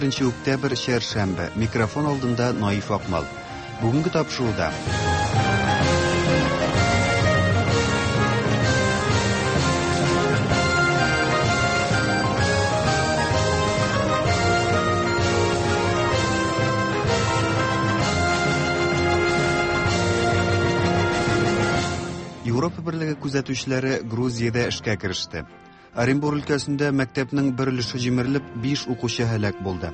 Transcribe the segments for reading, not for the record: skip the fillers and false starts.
21 октябрь, чәршәмбе. Микрофон алдында Наиф Акмал. Бүгенге тапшыруда Европа берлеге күзәтүчеләре Грузиядә эшкә кереште. Оренбур өлкәсендә мәктәпнең бер өлеше җимерелеп, 5 укучы һәлак булды.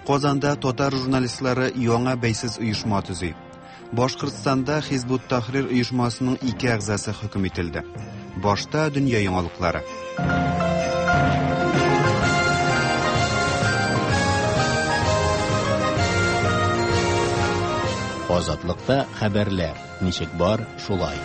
Казанда татар журналистлары яңа бәйсез оешма төзи. Башкортстанда Хизбут Тахрир оешмасының ике әгъзасы хөкем ителде. Башта дөнья яңалыклары. Азатлыкта хәбәрләр ничек бар, шулай.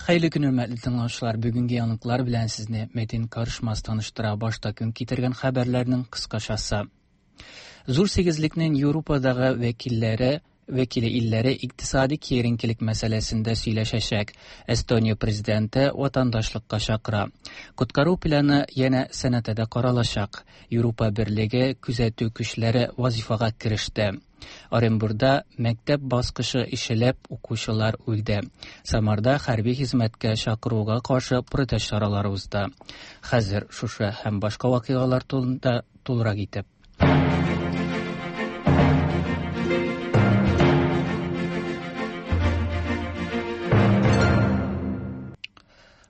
Хәерле көн, хөрмәтле тыңлаучылар. Бүгенге яңалыклар белән сезне Метин Карышмас таныштыра. Башта көн китергән хәбәрләрнең кыскачасы. Зур сигезлекнең Европадагы вәкилләре вәкиле илләре икътисади киеренкелек мәсьәләсендә сөйләшәчәк. Эстония президенты ватандашлыкка чакыра. Коткару планы янә сәнәтәдә каралачак. Европа берлеге күзәтү көчләре вазифага кереште. Оренбурда мәктәп баскычы ишелеп, укучылар үлде. Самарда хәрби хезмәткә чакыруга каршы протест чаралары узды. Хәзер шушы һәм башка вакыйгалар турында тулырак итеп.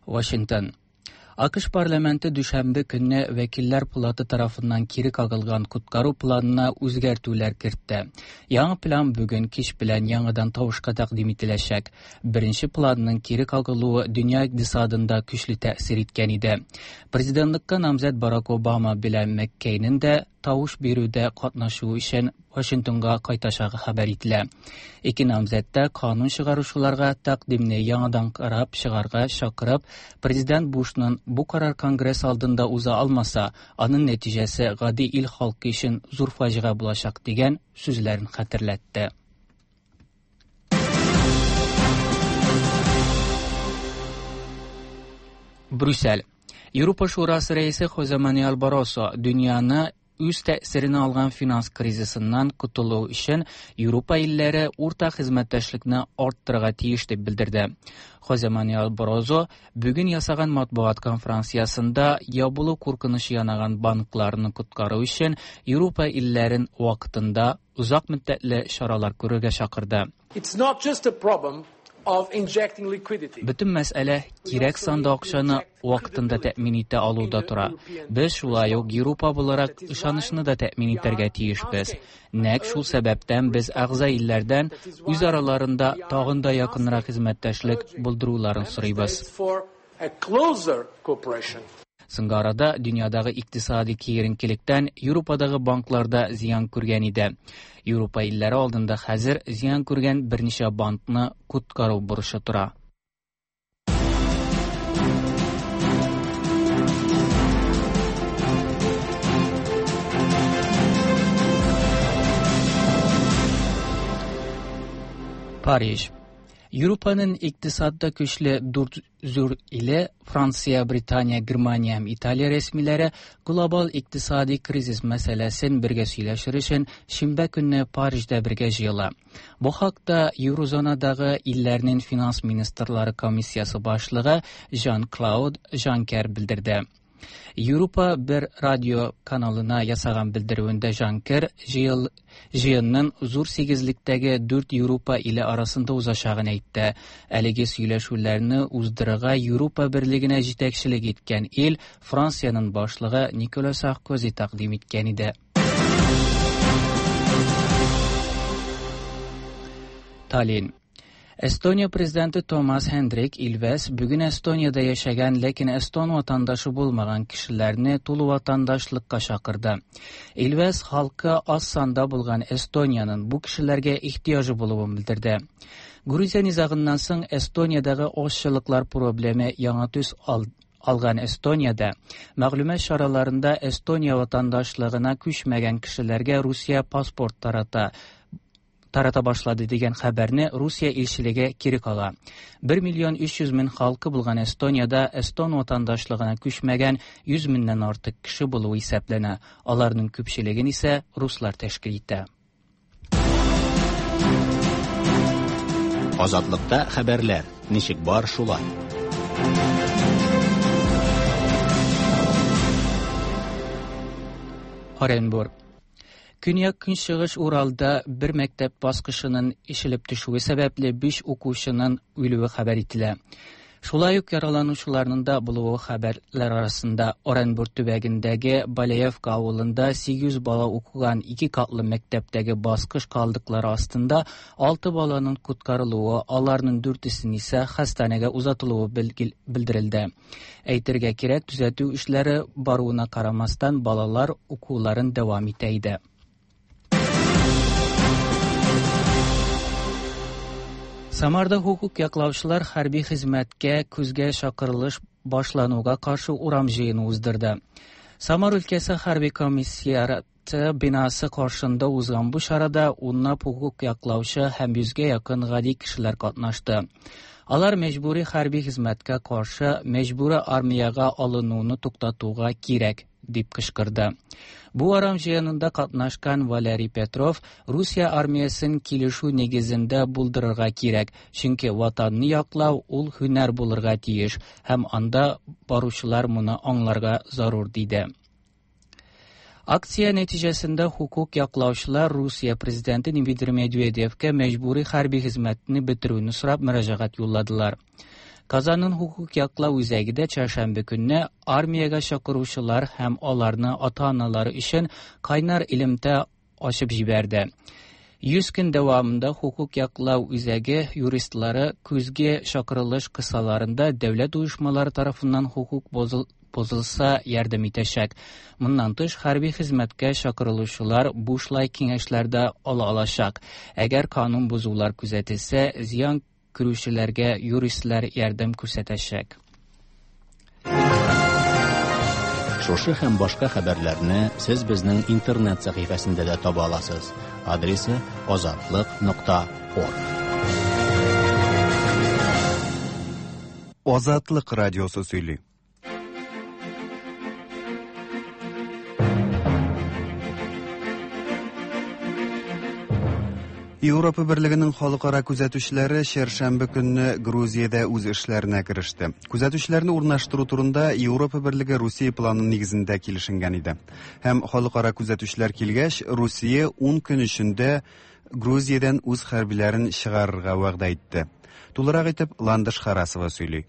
Вашингтон. АКШ парламенты дүшәмбе көнне Вәкилләр палаты тарафыннан кире кагылган коткару планына үзгәртүләр кертте. Яңа план бүген кич белән яңадан тавышка тәкъдим ителәчәк. Беренче планның кире кагылуы дөнья икътисадында көчле тәэсир иткән иде. Президентлыкка намзәт Барак Обама белән Маккейнең дә тавыш бирүдә катнашу өчен Вашингтонга кайтачагы хәбәр ителә. Ике намзәт тә канун чыгаручыларга тәкъдимне яңадан карап чыгарга чакырып, президент Бушның бу карар Конгресс алдында уза алмаса, аның нәтиҗәсе гади ил халкы өчен зур фаҗига булачак дигән сүзләрен хәтерләтте. Брюссель. Европа Шурасы рәисе Хозе Мануэль Барросо дөньяны үз тәэсиренә алган финанс кризисыннан котылу өчен Европа илләре уртак хезмәттәшлекне арттырырга тиеш дип белдерде. Хозе Мануэль Баррозо бүген ясаган матбугат конференциясендә ябылу куркынычы янаган банкларны коткару өчен Европа илләрен вакытында озак мөддәтле чаралар күрергә чакырды. It's not just a problem of injecting liquidity. Бөтен мәсьәлә кирәк санда акчаны вакытында тәэмин итә алуда тора. Без шулай ук Европа буларак ышанычны да тәэмин итәргә тиешбез. Нәкъ шул сәбәптән без әгъза илләрдән үз араларында тагын да якынрак хезмәттәшлек булдыруларын сорыйбыз. For a closer cooperation. Соңгы арада дөньядагы икътисади киеренкелектән Европадагы банкларда зыян күргән иде. Европа илләре алдында хәзер зыян күргән берничә банкны коткару бурычы тора. Париж. Европаның икътисадда көчле дүрт зур иле Франция, Британия, Германия һәм Италия рәсмиләре глобал икътисади кризис мәсьәләсен бергә сөйләшер өчен шимбә көнне Парижда бергә җыела. Бу хакта Еврозонадагы илләрнең финанс министрлары комиссиясе башлыгы Жан-Клауд Жанкер белдерде. Европа бер радио каналына ясаган белдерүендә Жанкер җыенның зур сигезлектәге дүрт Европа иле арасында узачагын әйтте. Әлеге сөйләшүләрне уздырырга Европа берлегенә җитәкчелек иткән ил Франциянең башлыгы Никола Саркози тәкъдим иткән иде. Таллин. Эстония президенты Томас Хендрик Илвес бүген Эстониядә яшәгән, ләкин эстон ватандашы булмаган кешеләрне тулы ватандашлыкка чакырды. Илвес халкы аз санда булган Эстониянең бу кешеләргә ихтыяҗы булуын белдерде. Грузия низагыннан соң Эстониядәге азчылыклар проблемы яңа төс алган Эстониядә мәгълүмат чараларында Эстония ватандашлыгына күчмәгән кешеләргә Русия паспорт тарата. тарата башлады дигән хәбәрне Русия илчелеге кире кага. 1 миллион 300 мең халкы булган Эстониядә эстон ватандашлыгына күчмәгән 100 меңнән артык кеше булуы исәпләнә. Аларның күпчелеген исә руслар тәшкил итә. Азатлыкта хәбәрләр ничек бар шулай. Оренбург. Көньяк-көнчыгыш Уралда бер мәктәп баскычының ишелеп төшүе сәбәпле 5 укучының үлүе хәбәр ителә. Шулай ук яраланучыларның да булуы хәбәрләр арасында. Оренбург төбәгендәге Балеевка авылында 800 бала укыган ике катлы мәктәптәге баскыч калдыклары астында 6 баланың коткарылуы, аларның дүртесен исә хастаханәгә озатылуы белдерелде. Әйтергә кирәк, төзәтү эшләре баруына карамастан, балалар укуларын дәвам итә иде. Самарда хукук яклаучылар хәрби хезмәткә көзгә чакырылыш башлануга каршы урам җыены уздырды. Самар өлкәсе хәрби комиссиаты бинасы каршында узган бу чарада унлап хукук яклаучы һәм йөзгә якын гади кешеләр катнашты. Алар мәҗбүри хәрби хезмәткә каршы мәҗбүри армиягә алынуны туктатуга кирәк дип кычкырды. Бу урам җыенында катнашкан Валерий Петров Русия армиясен килешү нигезендә булдырырга кирәк, чөнки ватанны яклау ул һөнәр булырга тиеш һәм анда баручылар моны аңларга зарур диде. Акция нәтиҗәсендә хукук яклаучылар Русия президенты Дмитрий Медведевкә мәҗбүри хәрби хезмәтне бетерүне сорап мөрәҗәгать юлладылар. Казанның хукук яклау үзәге дә чәршәмбе көнне армиягә чакыручылар һәм аларны ата-аналары өчен кайнар элемтә ачып җибәрде. 100 көн дәвамында хукук яклау үзәге юристлары көзге чакырылыш кысаларында дәүләт оешмалары тарафыннан хукук бозылса ярдәм итәчәк. Моннан тыш, хәрби хезмәткә чакырылучылар бушлай киңәшләр дә ала алачак. Әгәр канун бозулар күзәтелсә, зыян күрүчеләргә юристлар ярдәм күрсәтәчәк. Шушы һәм башка хәбәрләрне сез безнең интернет сәхифәсендә дә таба аласыз. Адресы azatliq.org. Азатлык радиосы сөйли. Европа Берлегенең халыкара күзәтүчеләре чәршәмбе көнне Грузиядә үз эшләренә кереште. Күзәтүчеләрне урнаштыру турында Европа Берлеге Русия планы нигезендә килешенгән иде. Һәм халыкара күзәтүчеләр килгәч, Русия 10 көн эчендә Грузиядән үз хәрбиләрен чыгарырга вәгъдә итте. Тулырак итеп Ландыш Харасова сөйли.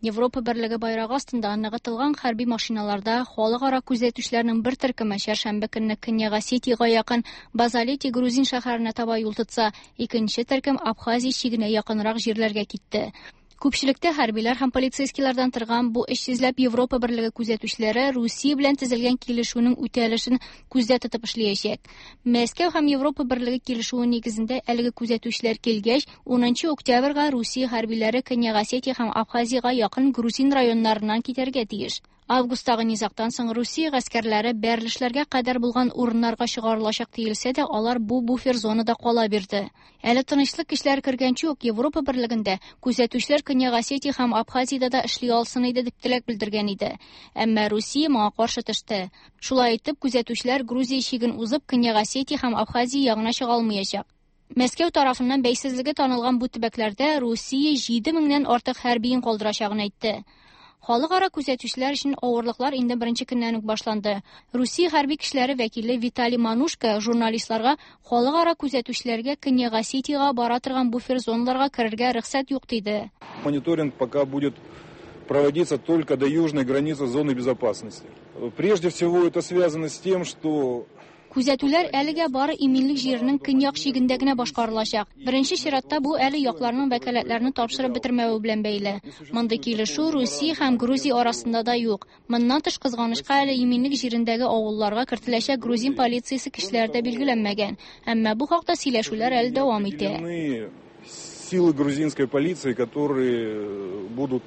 Европа Берлеге байрагы астында ныгытылган хәрби машиналарда халыкара күзәтүчеләрнең бер төркеме чәршәмбе көнне Көньяк Осетиягә якын Базалети грузин шәһәренә таба юл тотса, икенче төркем Абхазия чигенә якынрак җирләргә китте. Күпчелектә хәрбиләр һәм полицейскийлардан торган бу 300ләп Европа Берлеге күзәтүчеләре Русия белән төзелгән килешүнең үтәлешен күздә тотып эшләячәк. Мәскәү һәм Европа Берлеге килешүе нигезендә әлеге күзәтүчеләр килгәч, 10 октябрьгә Русия хәрбиләре Көньяк Осетия һәм Абхазиягә якын грузин районнарыннан китәргә тиеш. Августтагы низагтан соң Русия гаскәрләре бәрелешләргә кадәр булган урыннарга чыгарылачак диелсә дә, алар бу буфер зонада кала бирде. Әле тынычлык көчләре кергәнче үк Европа Берлегендә күзәтүчеләр Көньяк Осетия һәм Абхазиядә дә эшли алсын иде дип теләк белдергән иде. Әмма Русия моңа каршы төште. Шулай итеп, күзәтүчеләр Грузия чиген узып Көньяк Осетия һәм Абхазия ягына чыга алмаячак. Мәскәү тарафыннан бәйсезлеге танылган бу төбәкләрдә Русия 7000-нән артык хәрбиен калдырачагын әйтте. Халыкара күзәтүчеләр өчен авырлыклар инде беренче көннән үк башланды. Русия хәрби көчләре вәкиле Виталий Манушко журналистларга халыкара күзәтүчеләргә Көньяк Осетиягә бара торган буфер зоналарга керергә рөхсәт юк диде. Мониторинг пока будет проводиться только до южной границы зоны безопасности. Прежде всего это связано с тем, что Күзәтүләр әлегә бары иминлек җиренең көньяк чигендә генә башкарылачак. Беренче чиратта бу әле якларның вәкаләтләрен тапшырып бетермәве белән бәйле. Мондый килешү Русия һәм Грузия арасында да юк. Моннан тыш, кызганычка, әле иминлек җирендәге авылларга кертеләчәк грузин полициясе көчләре дә билгеләнмәгән. Әмма бу хакта сөйләшүләр әле дәвам итә. Силы грузинской полиции, которые будут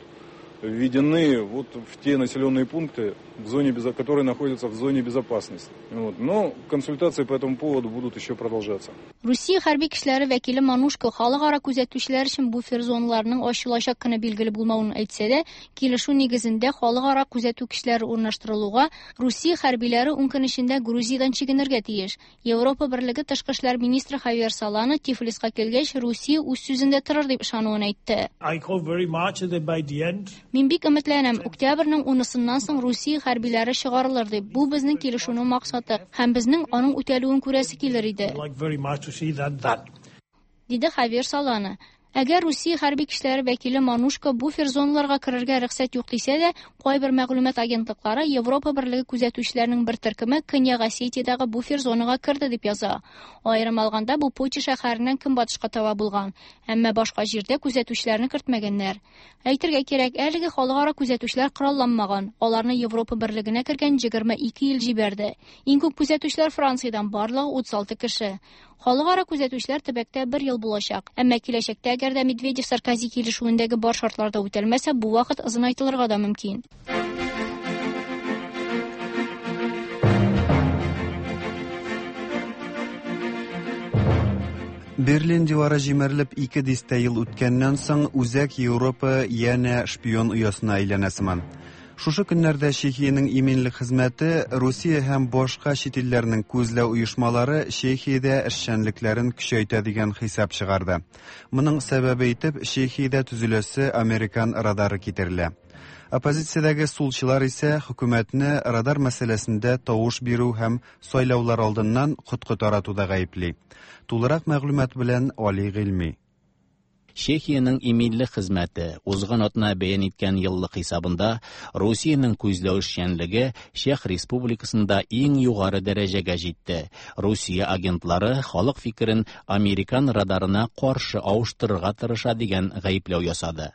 введены вот в те населенные пункты, в зоне, которые находятся в зоне безопасности. Вот. Но консультации по этому поводу будут еще продолжаться. Русия хәрби көчләре вәкиле Манушко халыкара күзәтүчеләр өчен буфер зоналарының ачылачак көне билгеле булмавын әйтсә дә, килешү нигезендә халыкара күзәтү көчләре урнаштырылуга Русия хәрбиләре 10 көн эчендә Грузиядән чигенергә тиеш. Европа Берлеге тышкы эшләр министры Хавьер Солана Тифлиска килгәч, Русия үз сүзендә торыр дип ышануын әйтте. Мин бик өметләнәм, октябрьнең 10-сыннан соң Русия хәрбиләре чыгарылыр дип. Бу безнең килешүнең максаты һәм безнең аның үтәлүен күрәсе килер иде. Диде Хавьер Солана. Әгәр Русия хәрби көчләре вәкиле Манушко буфер зоналарга керергә рөхсәт юк дисә дә, кайбер мәгълүмат агентлыклары Европа Берлеге күзәтүчеләренең бер төркеме Көньяк Осетиядәге буфер зонага керде дип яза. Аерым алганда, бу Поти шәһәреннән көнбатышка таба булган, әмма башка җирдә күзәтүчеләрне кертмәгәннәр. Әйтергә кирәк, әлеге халыкара күзәтүчеләр коралланмаган. Аларны Европа Берлегенә кергән 22 ил җибәрде. Иң күп күзәтүчеләр Франциядән, барлыгы 36 кеше. Халыкара күзәтүчеләр төбәктә бер ел булачак. Әмма киләчәктә, әгәр дә Медведев-Саркози килешүендәге бар шартлар да үтәлмәсә, бу вакыт озынайтылырга да мөмкин. Берлин дивары җимерелеп 2 дистә ел үткәннән соң, Үзәк Европа янә шпион оясына әйләнә сыман. Шушы көннәрдә Чехиянең иминлек хезмәте Русия һәм башка чит илләрнең күзләү оешмалары Чехиядә эшчәнлекләрен көчәйтә дигән хисап чыгарды. Моның сәбәбе итеп Чехиядә төзеләсе американ радары китерелә. Оппозициядәге сулчылар исә хөкүмәтне радар мәсьәләсендә тавыш бирү һәм сайлаулар алдыннан коткы таратуда гаепли. Тулырак мәгълүмат белән Али Гыйльми. Чехиянең иминлек хезмәте узган атна бәян иткән еллык хисабында Русиянең күзләү эшчәнлеге Чех Республикасында иң югары дәрәҗәгә җитте. Русия агентлары халык фикерен американ радарына каршы авыштырырга тырыша дигән гаепләү ясады.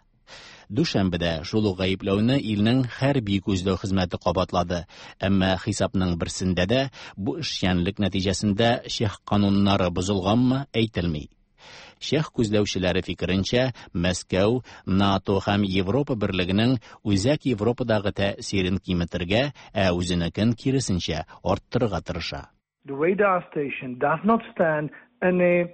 Дүшәмбедә шул ук гаепләүне илнең хәрби күзләү хезмәте кабатлады. Әмма хисапның берсендә дә бу эшчәнлек нәтиҗәсендә чех кануннары бозылганмы әйтелми. Чех күзләүчеләре фикеренчә, Мәскәү, НАТО һәм Европа Берлегенең Үзәк Европадагы тәэсирен киметергә, ә үзенекен киресенчә арттырырга тырыша. The radar station does not stand any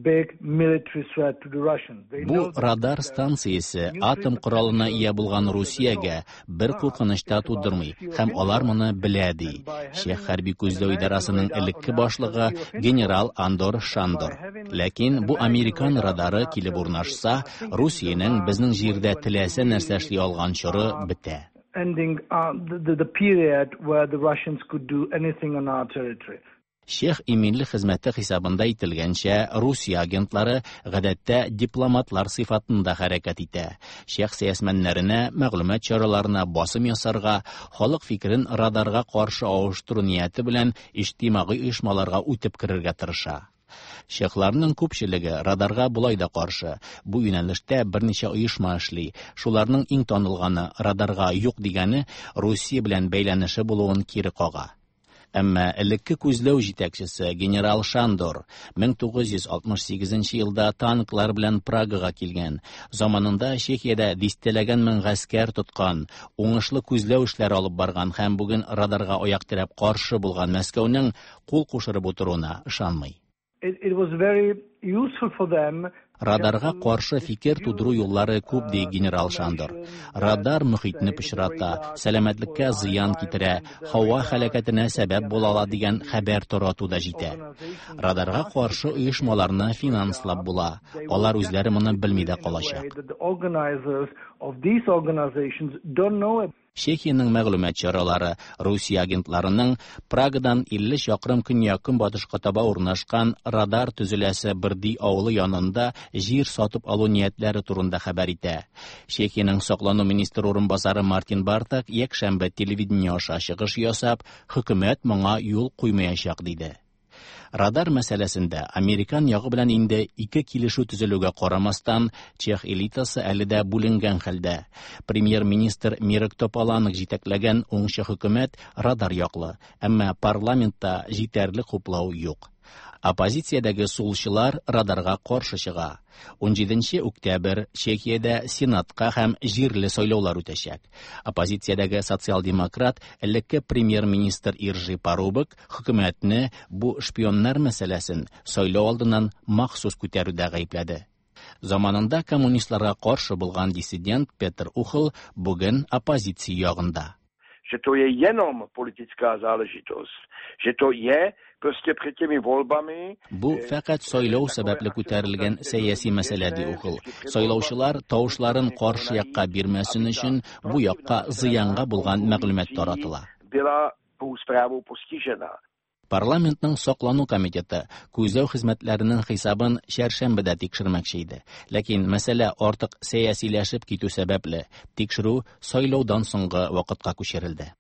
big military threat to the Russians. Бу радар станциясе атом коралына ия булган Русиягә бер куркыныч та тудырмый һәм алар моны белә, ди Чех хәрби күзләү идарәсенең элекке башлыгы генерал Андор Шандор. Ләкин бу американ радары килеп урнашса, Русиянең безнең җирдә теләсә нәрсә эшли алган чоры бетә. Ending the period where the Russians could do anything on our territory. Чех иминлек хезмәте хисабында әйтелгәнчә, Русия агентлары гадәттә дипломатлар сыйфатында хәрәкәт итә. Чех сәясмәннәренә, мәгълүмат чараларына басым ясарга, халык фикерен радарга каршы авыштыру нияте белән иҗтимагый оешмаларга үтеп керергә тырыша. Чехларның күпчелеге радарга болай да каршы. Бу юнәлештә берничә оешма эшли. Шуларның иң танылганы радарга юк дигәне Русия белән бәйләнеше булуын кире кага. Әмма элекке күзләү җитәкчесе генерал Шандор 1968 елда танклар белән Прагага килгән. Заманында Чехиядә дистәләгән мең гаскәр тоткан, уңышлы күзләү эшләре алып барган һәм бүген радарга аяк терәп каршы булган Мәскәүнең кул кушырып утыруына ышанмый. It was very useful for them. Радарга каршы фикер тудыру юллары күп, ди генерал Шандор. Радар мөхитне пычрата, сәламәтлеккә зыян китерә, һава һәлакәтенә сәбәп була ала дигән хәбәр тарату да җитә. Радарга каршы оешмаларны финанслап була. Алар үзләре моны белми дә калачак. The organizers of these organizations don't know. Чехиянең мәгълүмат чаралары Русия агентларының Прагадан 50 чакрым көньяк-көнбатышка таба урнашкан радар төзеләсе Брди авылы янында җир сатып алу ниятләре турында хәбәр итә. Чехиянең саклану министры урынбасары Мартин Бартак якшәмбе телевидение аша чыгыш ясап, хөкүмәт моңа юл куймаячак диде. Радар мәсьәләсендә американ ягы белән инде ике килешү төзелүгә карамастан, чех элитасы әле дә бүленгән хәлдә. Премьер-министр Мирек Тополанек җитәкләгән уңчы хөкүмәт радар яклы, әмма парламентта җитәрлек хуплау юк. Оппозициядәге сулчылар радарга каршы чыга. 17 октябрь Чехиядә Сенатка һәм җирле сайлаулар үтәчәк. Оппозициядәге социал-демократ элекке премьер-министр Иржи Парубок хөкүмәтне бу шпионнар мәсьәләсен сайлау алдыннан махсус күтәрүдә гаепләде. Заманында коммунистларга каршы булган диссидент Петр Ухл бүген оппозиция ягында. Že to je jenom politická záležitost, že to je prostě před těmi volbami. Бу фәкать сайлау сәбәпле күтәрелгән сәяси мәсьәлә, ди Ухл. Сайлаучылар тавышларын каршы якка бирмәсен өчен бу якка зыянга булган мәгълүмат таратыла. Была tou zprávou postižena. Парламентның саклану комитеты күзләү хезмәтләренең хисабын чәршәмбедә тикшермәкче иде. Ләкин мәсьәлә артык сәясиләшеп китү сәбәпле, тикшерү сайлаудан соңгы вакытка күчерелде.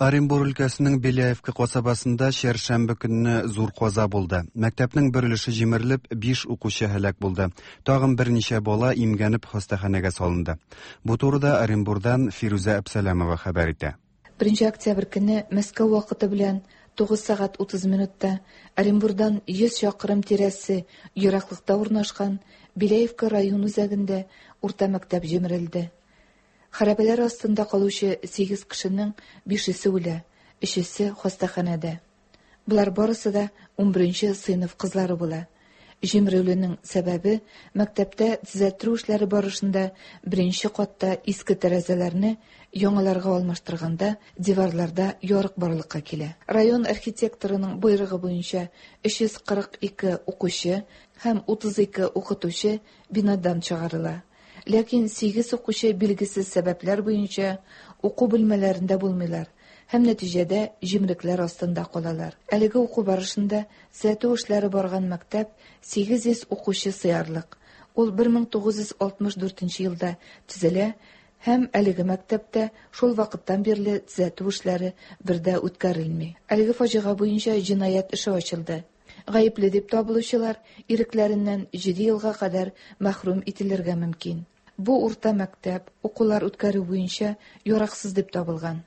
Оренбур өлкәсенең Беляевка касабасында чәршәмбе көнне зур каза булды. Мәктәпнең бер өлеше җимерелеп, 5 укучы һәлак булды. Тагын берничә бала имгәнеп хастаханәгә салынды. Бу турыда Оренбурдан Фирүзә Әбсәләмова хәбәр итә. 1 октябрь көне Мәскәү вакыты белән 9 сәгать 30 минутта Оренбурдан 100 чакрым тирәсе ераклыкта урнашкан Беляевка район үзәгендә урта мәктәп җимерелде. Хәрабәләр астында калучы 8 кешенең 5-есе үлә, 3-есе хастаханәдә. Булар барысы да 11 сыйныф кызлары була. Җимерелүнең сәбәбе мәктәптә төзәттерү эшләре барышында беренче катта иске тәрәзәләрне яңаларга алмаштырганда диварларда ярык барлыкка килә. Район архитекторының боерыгы буенча 342 укучы һәм 32 укытучы бинадан чыгарыла. Ләкин 8 укучы билгесез сәбәпләр буенча уку бүлмәләрендә булмыйлар һәм нәтиҗәдә җимрекләр астында калалар. Әлеге уку барышында төзәтү эшләре барган мәктәп 800 укучы сыярлык. Ул 1964 елда төзелә һәм әлеге мәктәптә шул вакыттан бирле төзәтү эшләре бердә үткәрелми. Әлеге фаҗига буенча җинаять эше ачылды. Гаепле дип табылучылар ирекләреннән 7 елга кадәр мәхрүм ителергә мөмкин. Бу урта мәктәп укулар үткәрү буенча яраксыз дип табылган.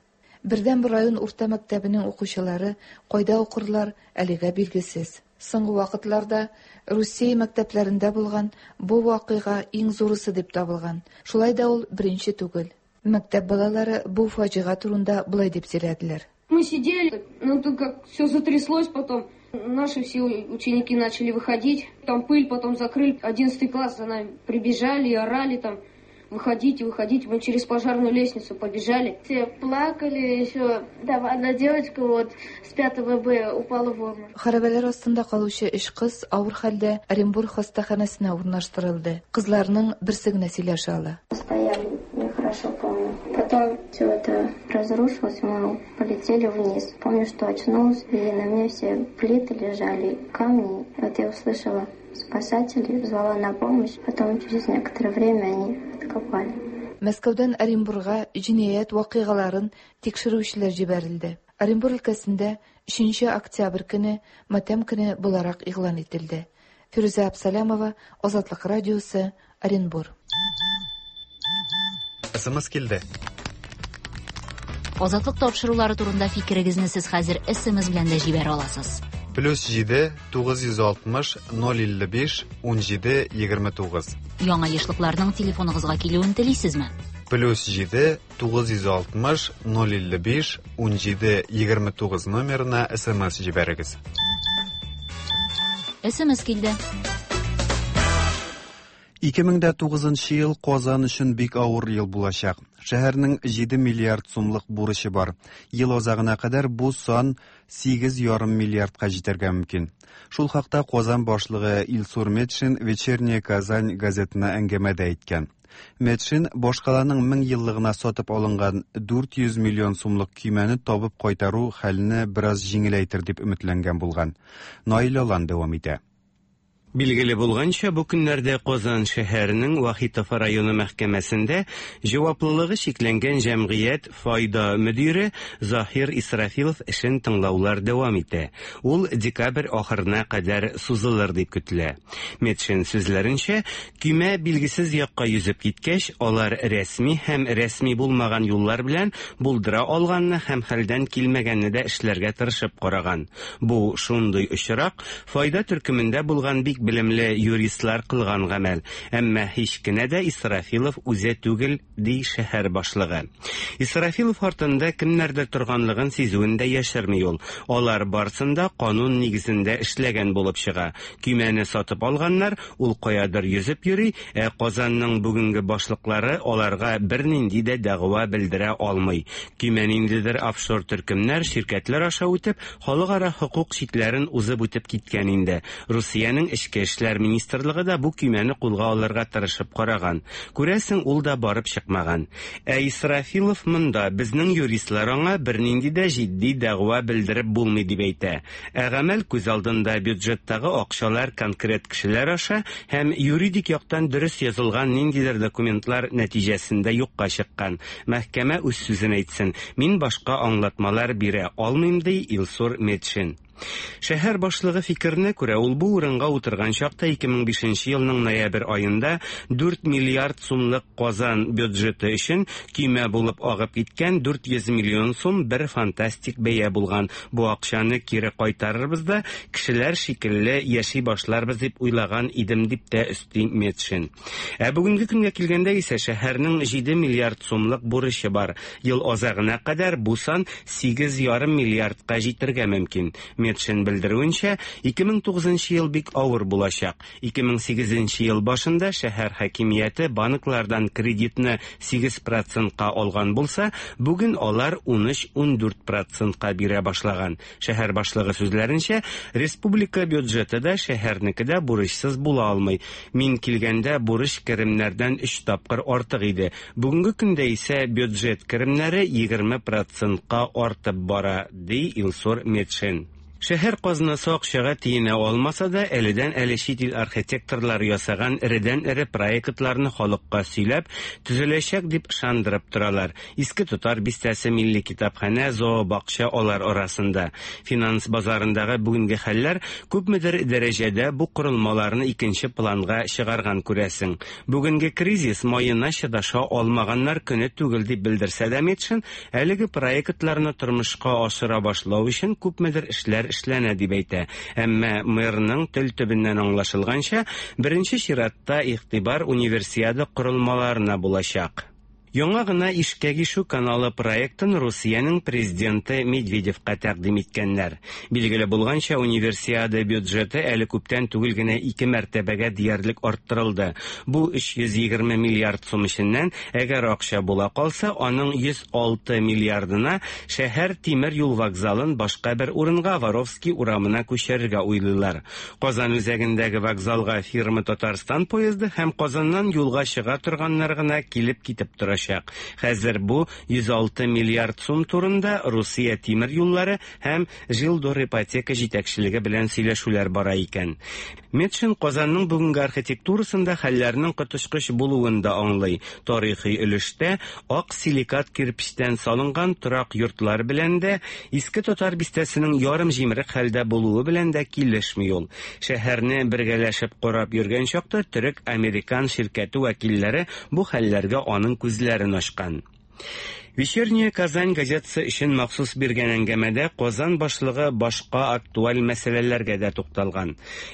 Бердән бер район урта мәктәбенең укучылары кайда укырлар әлегә билгесез. Соңгы вакытларда Русия мәктәпләрендә булган бу вакыйга иң зурысы дип табылган. Шулай да ул беренче түгел. Мәктәп балалары бу фаҗига турында болай дип сөйләделәр. Мы сидели, но тут как все затряслось потом. Наши все ученики начали выходить, там пыль потом закрыли. 11 класс за нами прибежали и орали там: выходите, выходите. Мы через пожарную лестницу побежали. Все плакали, еще там одна девочка вот с 5 Б упала в обморок. Хәрабәләр астында калучы өч кыз авыр хәлдә Оренбург хастаханәсенә урнаштырылды. Кызларның берсе генә сөйләшә ала. Стояли, я хорошо помню. Потом все это разрушилось, мы полетели вниз. Помню, что очнулась, и на мне все плиты лежали, камни. Вот я услышала спасателей, звала на помощь. Потом через некоторое время они откопали. Мәскәүдән Оренбурга җинаять вакыйгаларын тикшерүчеләр җибәрелде. Оренбур өлкәсендә 3 октябрь көне матәм көне буларак игълан ителде. Фирүзә Абсалямова, Азатлык радиосы, Оренбур. СМС килде. Азатлык тапшырулары турында фикерегезне сез хәзер СМС белән дә җибәрә аласыз. Плюс 7 960 055 17 29. Яңа ешлыкларның телефоныгызга килүен телисезме? Плюс 7 960 055 17 29 номерына СМС җибәрегез. СМС килде. 2009 ел Казан өчен бик авыр ел булачак. Шәһәрнең 7 миллиард сумлык бурычы бар. Ел азагына кадәр бу сан 8,5 миллиардка җитәргә мөмкин. Шул хакта Казан башлыгы Илсур Метшин Вечерняя Казань газетына әңгәмәдә әйткән. Метшин башкаланың 1000 еллыгына сатып алынган 400 миллион сумлык көймәне табып кайтару хәлне бераз җиңеләйтер дип өметләнгән булган. Наил Алан дәвам итә. Билгеле булганча, бу көннәрдә Казан шәһәренең Вахитов районы мәхкәмәсендә җаваплылыгы чикләнгән җәмгыять Файда мөдире Заһир Исрафилов эшен тыңлаулар дәвам итә. Ул декабрь ахырына кадәр сузылыр дип көтелә. Метшин сүзләренчә, көймә билгесез якка йөзеп киткәч, алар рәсми һәм рәсми булмаган юллар белән булдыра алганны һәм хәлдән килмәгәнне дә эшләргә тырышып караган. Бу шундый очрак, Файда төркемендә булган бик белемле юристлар кылган гамәл, әмма һич кенә дә Исрафилов үзе түгел, ди шәһәр башлыгы. Исрафилов артында кемнәрдер торганлыгын сизүен дә яшерми ул. Алар барсын да канун нигезендә эшләгән булып чыга. Көймәне сатып алганнар, ул каядыр йөзеп йөри, ә Казанның бүгенге башлыклары аларга бернинди дә дәгъва белдерә алмый. Көймә ниндидер офшор төркемнәр, ширкәтләр аша үтеп, Халыкара хокук чикләрен узып үтеп киткән инде. Русиянең Эчке эшләр министрлыгы да бу көймәне кулга алырга тырышып караган. Күрәсең, ул да барып чыкмаган. Ә Исрафилов монда, безнең юристлар аңа бернинди дә җитди дәгъва белдереп булмый дип әйтә. Ә гамәл күз алдында бюджеттагы акчалар конкрет кешеләр аша һәм юридик яктан дөрес язылган ниндидер документлар нәтиҗәсендә юкка чыккан. Мәхкәмә үз сүзен әйтсен, мин башка аңлатмалар бирә алмыйм, ди Илсур Метшин. Шәһәр башлыгы фикеренә күрә, ул бу урынга утырган чакта 2005 елның ноябрь аенда 4 миллиард сумлык Казан бюджеты өчен көймә булып агып киткән 400 миллион сум бер фантастик бәя булган. Бу акчаны кире кайтарырбыз да, кешеләр шикелле яши башларбыз дип уйлаган идем, дип тә өсти Метшин. Ә бүгенге көнгә килгәндә исә шәһәрнең 7 миллиард сумлык бурычы бар. Ел азагына кадәр бу сан 8,5 миллиардка җитәргә мөмкин. Метшин белдерүенчә, 2009 ел бик авыр булачак. 2008 ел башында шәһәр хакимияте банклардан кредитны 8 процентка алган булса, бүген алар 13-14 процентка бирә башлаган. Шәһәр башлыгы сүзләренчә, республика бюджеты да, шәһәрнеке дә бурычсыз була алмый. Мин килгәндә бурыч керемнәрдән өч тапкыр артык иде. Бүгенге көндә исә бюджет керемнәре 20 процентка артып бара, ди Илсур Метшин. Шәһәр казнасы акчага тиенә алмаса да, әледән-әле чит ил архитекторлары ясаган эредән-эре проектларны халыкка сөйләп, төзеләчәк дип ышандырып торалар. Иске Татар бистәсе, Милли китапханә, зообакча алар арасында. Финанс базарындагы бүгенге хәлләр күпмедер дәрәҗәдә бу корылмаларны икенче планга чыгарган, күрәсең. Бүгенге кризис маена чыдаша алмаганнар көне түгел дип белдерсә дә Метшин, әлеге проектларны тормышка ашыра башлау өчен күпмедер эшләр эшләнә дип әйтә. Әмма мэрның тел төбеннән аңлашылганча, беренче чиратта игътибар Универсиада корылмаларына булачак. Яңа гына Ишкәк ишү каналы проектын Русиянең президенты Медведевка тәкъдим иткәннәр. Билгеле булганча, Универсиада бюджеты әле күптән түгел генә ике мәртәбәгә диярлек арттырылды. Бу 320 миллиард сум эченнән, әгәр акча була калса, аның 106 миллиардына шәһәр тимер юл вокзалын башка бер урынга, Воровский урамына күчерергә уйлыйлар. Казан үзәгендәге вокзалга фирма Татарстан поезды һәм Казаннан юлга чыга торганнар гына килеп-китеп торачак. Хәзер бу 106 миллиард сум турында Русия тимер юллары һәм Жилдорипотека җитәкчелеге белән сөйләшүләр бара икән. Метшин Казанның бүгенге архитектурасында хәлләрнең коточкыч булуын да аңлый. Тарихи өлештә ак силикат кирпечтән салынган торак йортлар белән дә, Иске Татар бистәсенең ярым җимерек хәлдә булуы белән дә килешми ул. Шәһәрне бергәләшеп карап йөргән чакта төрек-американ ширкәте вәкилләре бу хәлләргә аның күзләрен ачкан. Вечерняя Казань газетасы өчен махсус биргән әңгәмәдә Казан башлыгы башка актуаль мәсьәләләргә дә тукталган.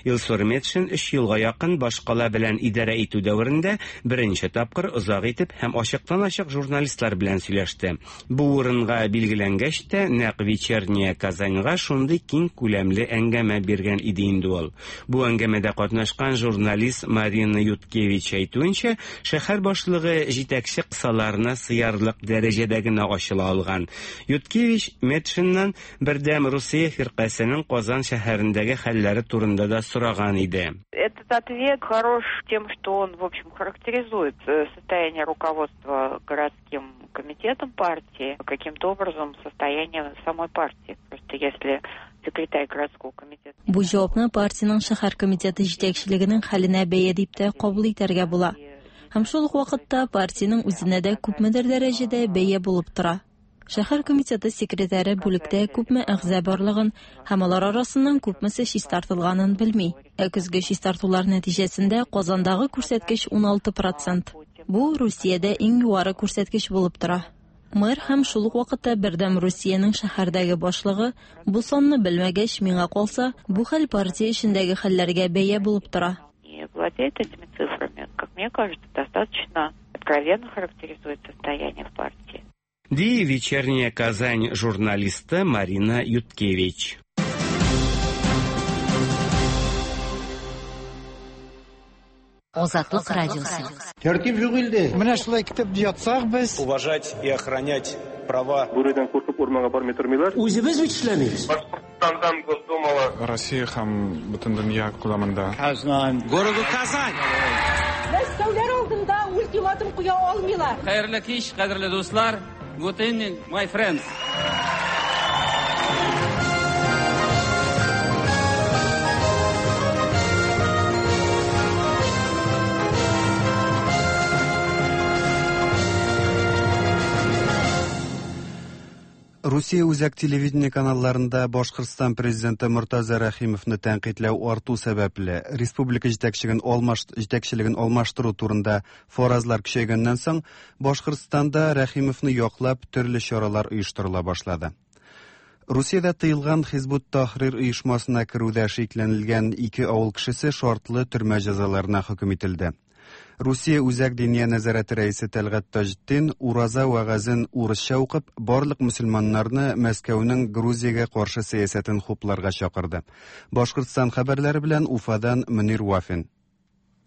Илсур Метшин өч елга якын башкала белән идарә итү дәверендә беренче тапкыр озак итеп һәм ачыктан-ачык журналистлар белән сөйләште. Бу урынга билгеләнгәч тә, нәкъ Вечерняя Казаньга шундый киң күләмле әңгәмә биргән иде инде ул. Бу әңгәмәдә катнашкан журналист Марина Юткевич әйтүенчә, шәһәр башлыгы җитәкче кысаларына сыярлык дәрәҗәдә генә ачыла алган. Юткевич Метшиннан Бердәм Русия фиркасенең Казан шәһәрендәге хәлләре турында да сораган иде. Этот ответ хорош тем, что он, в общем, характеризует э, состояние руководства городским комитетом партии, каким-то образом состояние самой партии. Просто если секретарь городского комитета. Бу җавапны партиянең шәһәр комитеты җитәкчелегенең хәленә бәя дип тә кабул итәргә була. Һәм шул ук вакытта партиянең үзенә дә күпмедер дәрәҗәдә бәя булып тора. Шәһәр комитеты секретаре бүлектә күпме әгъза барлыгын һәм алар арасыннан күпмесе чистартылганын белми. Ә көзге чистартулар нәтиҗәсендә Казандагы күрсәткеч 16 процент. Бу Русиядә иң югары күрсәткеч булып тора. Мэр һәм шул ук вакытта Бердәм Русиянең шәһәрдәге башлыгы бу санны белмәгәч, миңа калса, бу хәл партия эчендәге хәлләргә бәя булып тора. Не владеет этими цифрами, как мне кажется, достаточно откровенно характеризует состояние в партии. Ди Вечерняя Казань журналисты Марина Юткевич. Азатлык радиосы. Тәртип юк илдә. Менә шулай көтеп ятсак без. Уважать и охранять права. Бүредән куркып урманга бармый тормыйлар. Үзебез бит эшләмибез. Башкортстандан Госдумала. Россия һәм бөтен дөнья күләмендә. Казан. Городу Казань. Мәскәүләр алдында ультиматум куя алмыйлар. Хәерле кич, кадерле дуслар. Good evening, my friends. Русия үзәк телевидение каналларында Башкортстан президенты Мортаза Рәхимовны тәнкыйтьләү арту сәбәпле, республика җитәкчелеген алмаш җитәкчелеген алмаштыру турында фаразлар көчәйгәннән соң, Башкортстанда Рәхимовны яклап төрле чаралар оештырыла башлады. Русиядә тыелган Хизбут Тахрир оешмасына керүдә шикләнелгән ике авыл кешесе шартлы төрмә җәзаларына хөкем ителде. Русия Үзәк Диния нәзарәте рәисе Тәлгать Таҗетдин ураза вәгазен урысча укып, барлык мөселманнарны Мәскәүнең Грузиягә каршы сәясәтен хупларга чакырды. Башкортстан хәбәрләре белән Уфадан Мөнир Вафин.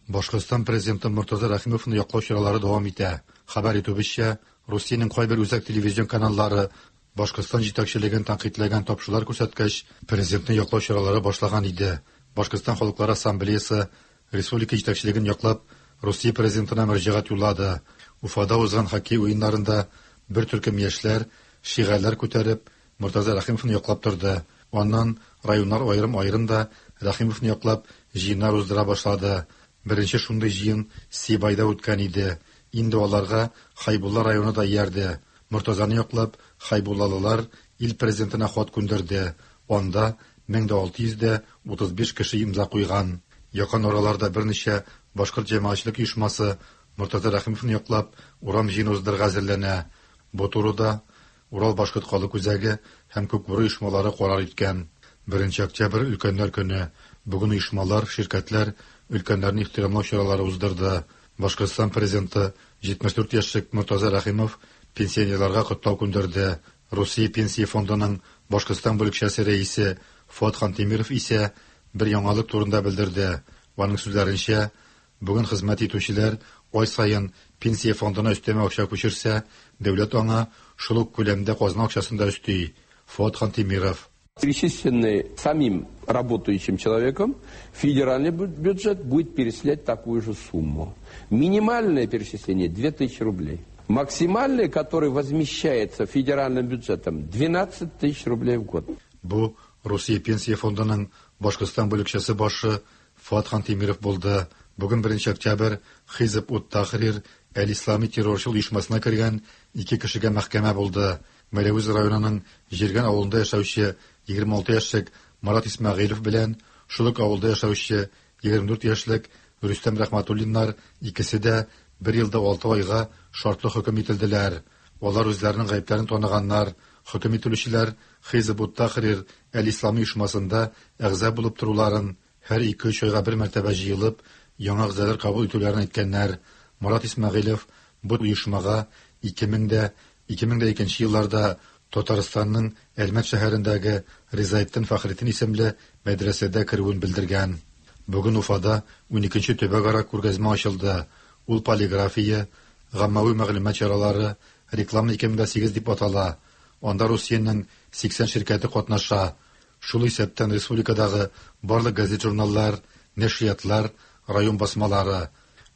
Башкортстан президенты Мортаза Рәхимовны яклау чаралары дәвам итә. Хәбәр итүебезчә, Русиянең кайбер үзәк телевизион каналлары Башкортстан җитәкчелеген тәнкыйтьләгән тапшырулар күрсәткәч, президентны яклау чаралары башлаган иде. Башкортстан халыклары ассамблеясы республика җитәкчелеген яклап, Русия президентына мөрәҗәгать юллады. Уфада узган хоккей уеннарында бер төркем яшьләр шигарләр күтәреп, Мортаза Рәхимовны яклап торды. Аннан районнар аерым-аерым да Рәхимовны яклап җыеннар уздыра башлады. Беренче шундый җыен Сибайда үткән иде. Инде аларга Хайбулла районы да иярде. Мортазаны яклап, хайбуллалылар ил президентына хат күндерде. Анда 1635 кеше имза куйган. Якын араларда берничә башкорт җәмәгатьчелек оешмасы Мортаза Рәхимовны яклап урам җыены уздырырга әзерләнә. Бу турыда Урал башкорт халык үзәге һәм Күкбүре оешмалары карар иткән. 1 октябрь өлкәннәр көне. Бүген оешмалар, ширкәтләр өлкәннәрне ихтирамлау чаралары уздырды. Башкортстан президенты 74 яшьлек Мортаза Рәхимов пенсионерларга котлау күндерде. Русия пенсия фондының Башкортстан бүлекчәсе рәисе Фуат Хантимиров исә бер яңалык турында белдерде. Аның сүзләренчә, бүген хезмәт итүчеләр ай саен пенсия фондына өстәмә акча күчерсә, дәүләт аңа шул ук күләмдә казна акчасын да өсти. Фуат Хантимиров. Перечисленный самим работающим человеком, федеральный бюджет будет перечислять такую же сумму. Минимальное перечисление 2000 рублей. Максимальное, которое возмещается федеральным бюджетом, 12 тысяч рублей в год. Бу Русия пенсия фондының Башкортстан бүлекчәсе башы Фуат Хантимиров булды. Бүген 1 октябрь Хизб ут-Тахрир әл-Ислами террорчыл оешмасына кергән ике кешегә мәхкәмә булды. Мәләвез районының Җиргән авылында яшәүче 26 яшьлек Марат Исмәгыйлев белән шул ук авылда яшәүче 24 яшьлек Рөстәм Рәхмәтуллиннар икесе дә бер елда 6 айга шартлы хөкем ителделәр. Алар үзләренең гаепләрен таныганнар. Хөкем ителүчеләр Хизб ут-Тахрир әл-Ислами оешмасында әгъза булып торуларын, һәр 2-3 айга бер мәртәбә җыелып, яңа әгъзалар кабул итүләрен әйткәннәр. Марат Исмәгыйлев бу оешмага 2000-2002 елларда Татарстанның Әлмәт шәһәрендәге Ризаэтдин Фәхретдин исемле мәдрәсәдә керүен белдергән. Бүген Уфада 12нче төбәкара күргәзмә ачылды. Ул полиграфия, гаммави мәгълүмат чаралары, реклама 2008 дип атала. Анда Русиянең 80 ширкәте катнаша. Шул исәптән республикадагы барлык газет-журналлар, нәшриятлар, район басмалары.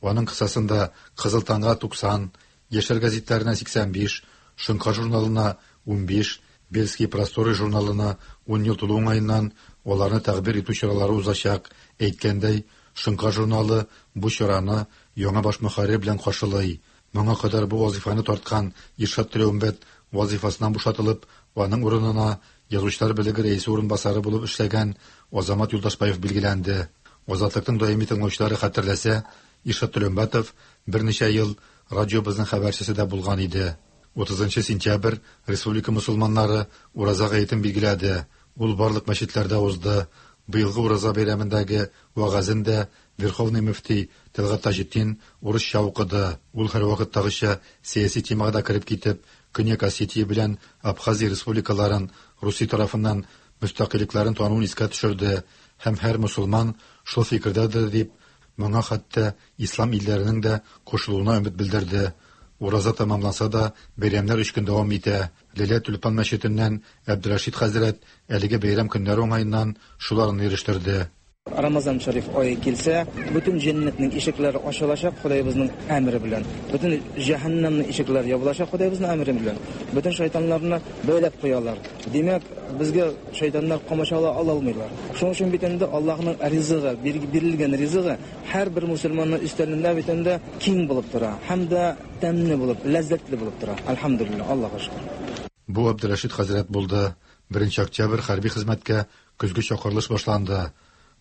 Аның кысасында Кызыл таңга 90, Яшьләр гәзитләренә 85, Шоңкар журналына 15, Бельские просторы журналына Ун ел тулу уңаеннан аларны тәкъбир итү чаралары узачак. Әйткәндәй, Шоңкар журналы бу чараны яңа баш мөхәррир белән каршылый. Моңа кадәр бу вазыйфаны тарткан Иршат Төләүмбәт вазыйфасыннан бушатылып, аның урынына Язучылар берлеге рәисе урынбасары булып эшләгән Азамат Юлдашбаев билгеләнде. Азатлыкның даими тыңлаучылары хәтерләсә, Иршат Төләүмбәтов берничә ел радиобызның хәбәрчесе дә булган иде. 30 сентябрь республика мөселманнары Ураза гаетен билгеләде. Ул барлык мәчетләрдә узды. Быелгы Ураза бәйрәмендәге вәгазен дә Верховный мөфти Тәлгать Таҗетдин урысча укыды. Ул һәрвакыттагыча сәяси темага да кереп китеп, Көньяк Осетия белән Абхазия республикаларын Русия тарафыннан мөстәкыйльлекләрен тануын искә төшерде һәм һәр мөселман шул фикердәдер дип, моңа хәтта ислам илләренең дә кушылуына өмет белдерде. Ураза тәмамланса да, бәйрәмнәр өч көн дәвам итә. Ләлә Тюльпан мәчетеннән Әбделрәшит хәзрәт әлеге бәйрәм көннәре уңаеннан шуларны ирештерде. Рамазан шәриф ае килсә, бөтен җәннәтнең ишекләре ачылачак Ходайыбызның әмере белән. Бөтен җәһәннәмнең ишекләре ябылачак Ходайыбызның әмере белән. Бөтен шайтаннарны бәйләп куялар. Димәк, безгә шайтаннар комачаулый ала алмыйлар. Шуның өчен бит инде Аллаһның ризыгы, бирелгән ризыгы һәрбер мусульманның өстәлендә бит инде киң булып тора һәм дә тәмле булып, ләззәтле булып тора. Әлхәмдүлилләһ, Аллаһка шөкер. Бу Әбделрәшит хәзрәт булды. Беренче октябрь хәрби хезмәткә көзге чакырылыш башланды.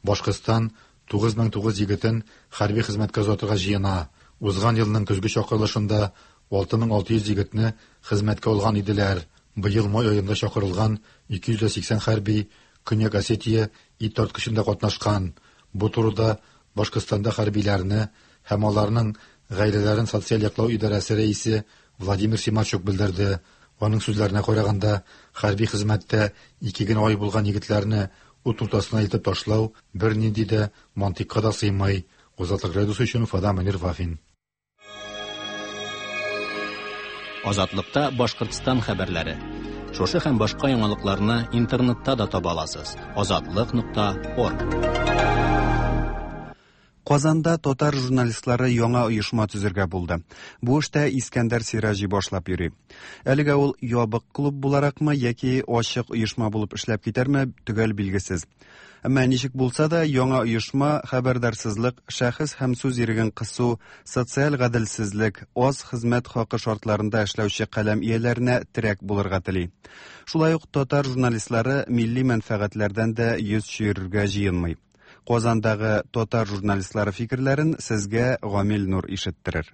Башкортстан 9009 егетен хәрби хезмәткә озатырга җыена. Узган елның көзге чакырылышында 6600 егетне хезмәткә алган иделәр. Быел май аенда чакырылган 280 хәрби Көньяк Осетия ит тарткычында катнашкан. Бу турыда Башкортстанда хәрбиләрне һәм аларның гаиләләрен социаль яклау идарәсе рәисе Владимир Симачук белдерде. Аның сүзләренә караганда, хәрби хезмәттә ике генә ай булган егетләрне ут уртасына илтеп ташлау бернинди дә мантыйкка да сыймый. Азатлык радиосы өчен Уфадан Мөнир Вафин. Азатлыкта Башкортстан хәбәрләре. Шушы һәм башка яңалыкларны интернетта да таба аласыз. Азатлык.орг. Казанда татар журналистлары яңа оешма төзергә булды. Бу эштә Искәндәр Сираҗи башлап йөри. Әлегә ул ябык клуб буларакмы яки ачык оешма булып эшләп китәрме, төгәл билгесез. Әмма ничек булса да, яңа оешма хәбәрдарсызлык, шәхес һәм сүз иреген кысу, социаль гаделсезлек, аз хезмәт хакы шартларында эшләүче каләм ияләренә терәк булырга тели. Шулай ук татар журналистлары милли мәнфәгатьләрдән дә йөз чөерергә җыенмый. Казандагы татар журналистлары фикерләрен сезгә Гамил Нур ишеттерер.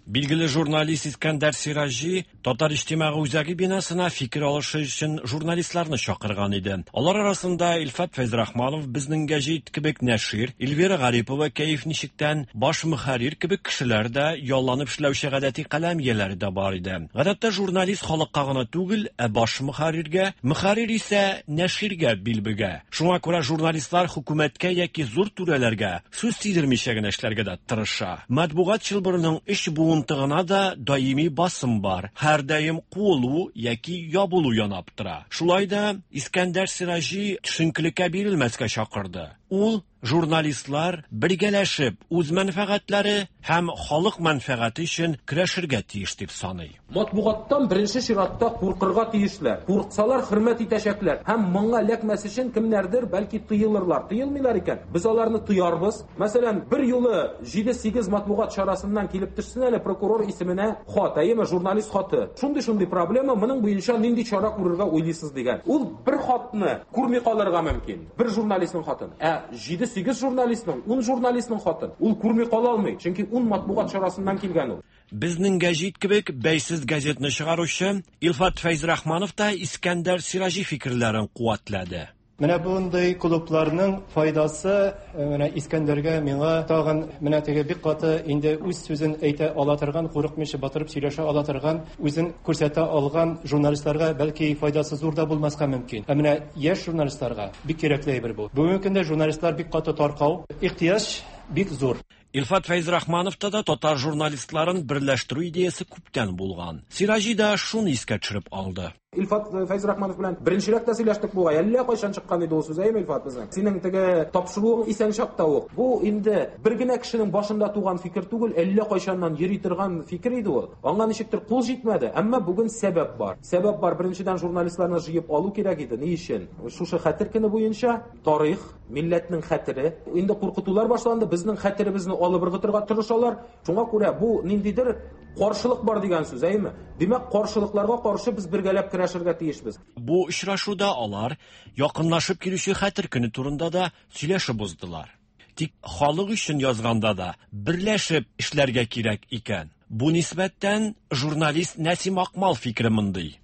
Билгеле журналист Искәндәр Сираҗи Татар иҗтимагый үзәге бинасына фикер алышы өчен журналистларны чакырган иде. Алар арасында Илфат Фәйзрахманов Безнең гәҗит кебек нәшир, Эльвира Гарипова Кәеф ничектән, баш мөхәррир кебек кешеләр дә, ялланып эшләүче гадәти каләм ияләре дә бар иде. Гадәттә журналист халыкка гына түгел, ә баш мөхәрриргә, мөхәррир исә нәширгә бил бөгә. Шуңа күрә журналистлар хөкүмәткә яки зур түрәләргә сүз тидермичә генә эшләргә дә тырыша. Матбугат чылбырының өч буынтыгына да даими басым бар, һәрдаим куылу яки ябылу янап тора. Шулай да Искәндәр Сираҗи төшенкелеккә бирелмәскә чакырды. Ул журналистлар бергәләшеп үз мәнфәгатьләре һәм халык мәнфәгате өчен көрәшергә тиеш дип саный. Матбугаттан беренче чиратта куркырга тиешләр. Курксалар, хөрмәт итәчәкләр. Һәм моңа эләкмәс өчен кемнәрдер, бәлки, тыелырлар. Тыелмыйлар икән, без аларны тыярбыз. Мәсәлән, бер юлы җиде-сигез матбугат чарасыннан килеп төшсен әле прокурор исеменә хат, әйеме, журналист хаты. Шундый-шундый проблема, моның буенча нинди чара күрергә уйлыйсыз дигән. Ул бер хатны күрми калырга мөмкин, бер журналистның хатын. Ә җиде-сигез журналистның, ун журналистның хатын ул күрми кала алмый, чөнки ун матбугат чарасыннан килгән ул. Безнең гәҗит кебек бәйсез газетны чыгаручы Илфат Фәйзрахманов та Искәндәр Сираҗи фикерләрен куәтләде. Менә бундый клубларның файдасы менә Искәндәргә, миңа тагын менә теге бик каты инде үз сүзен әйтә ала торган, курыкмыйча батырып сөйләшә ала торган, үзен күрсәтә алган журналистларга бәлки файдасы зур да булмаска мөмкин. Ә менә яшь журналистларга бик кирәкле әйбер бу. Бүгенге көндә журналистлар бик каты таркау, ихтыяҗ бик зур. Илфат Фәйзрахмановта да татар журналистларын берләштерү идеясе күптән булган. Сираҗи да шуны искә төшереп алды. Илфат Фәйзрахманов белән беренчерәк тә сөйләштек бугай. Әллә кайчан чыккан иде ул сүз, әйеме, Илфат, безнең? Синең теге тапшыруың исән чакта ук. Бу инде бер генә кешенең башында туган фикер түгел, әллә кайчаннан йөри торган фикер иде ул. Аңа ничектер кул җитмәде, әмма бүген сәбәп бар. Сәбәп бар, беренчедән, журналистларны җыеп алу кирәк иде. Ни өчен? Шушы хәтер көне буенча тарих, милләтнең хәтере. Инде куркытулар башланды, безнең хәтеребезне алып ыргытырга тырышалар. Шуңа күрә бу ниндидер каршылык бар дигән сүз, әйеме? Димәк, каршылыкларга каршы без бергәләп көрәшергә тиешбез. Бу очрашуда алар якынлашып килүче Хәтер көне турында да сөйләшеп уздылар. Тик халык өчен язганда да берләшеп эшләргә кирәк икән. Бу нисбәттән журналист Нәсим Акмал фикере мондый.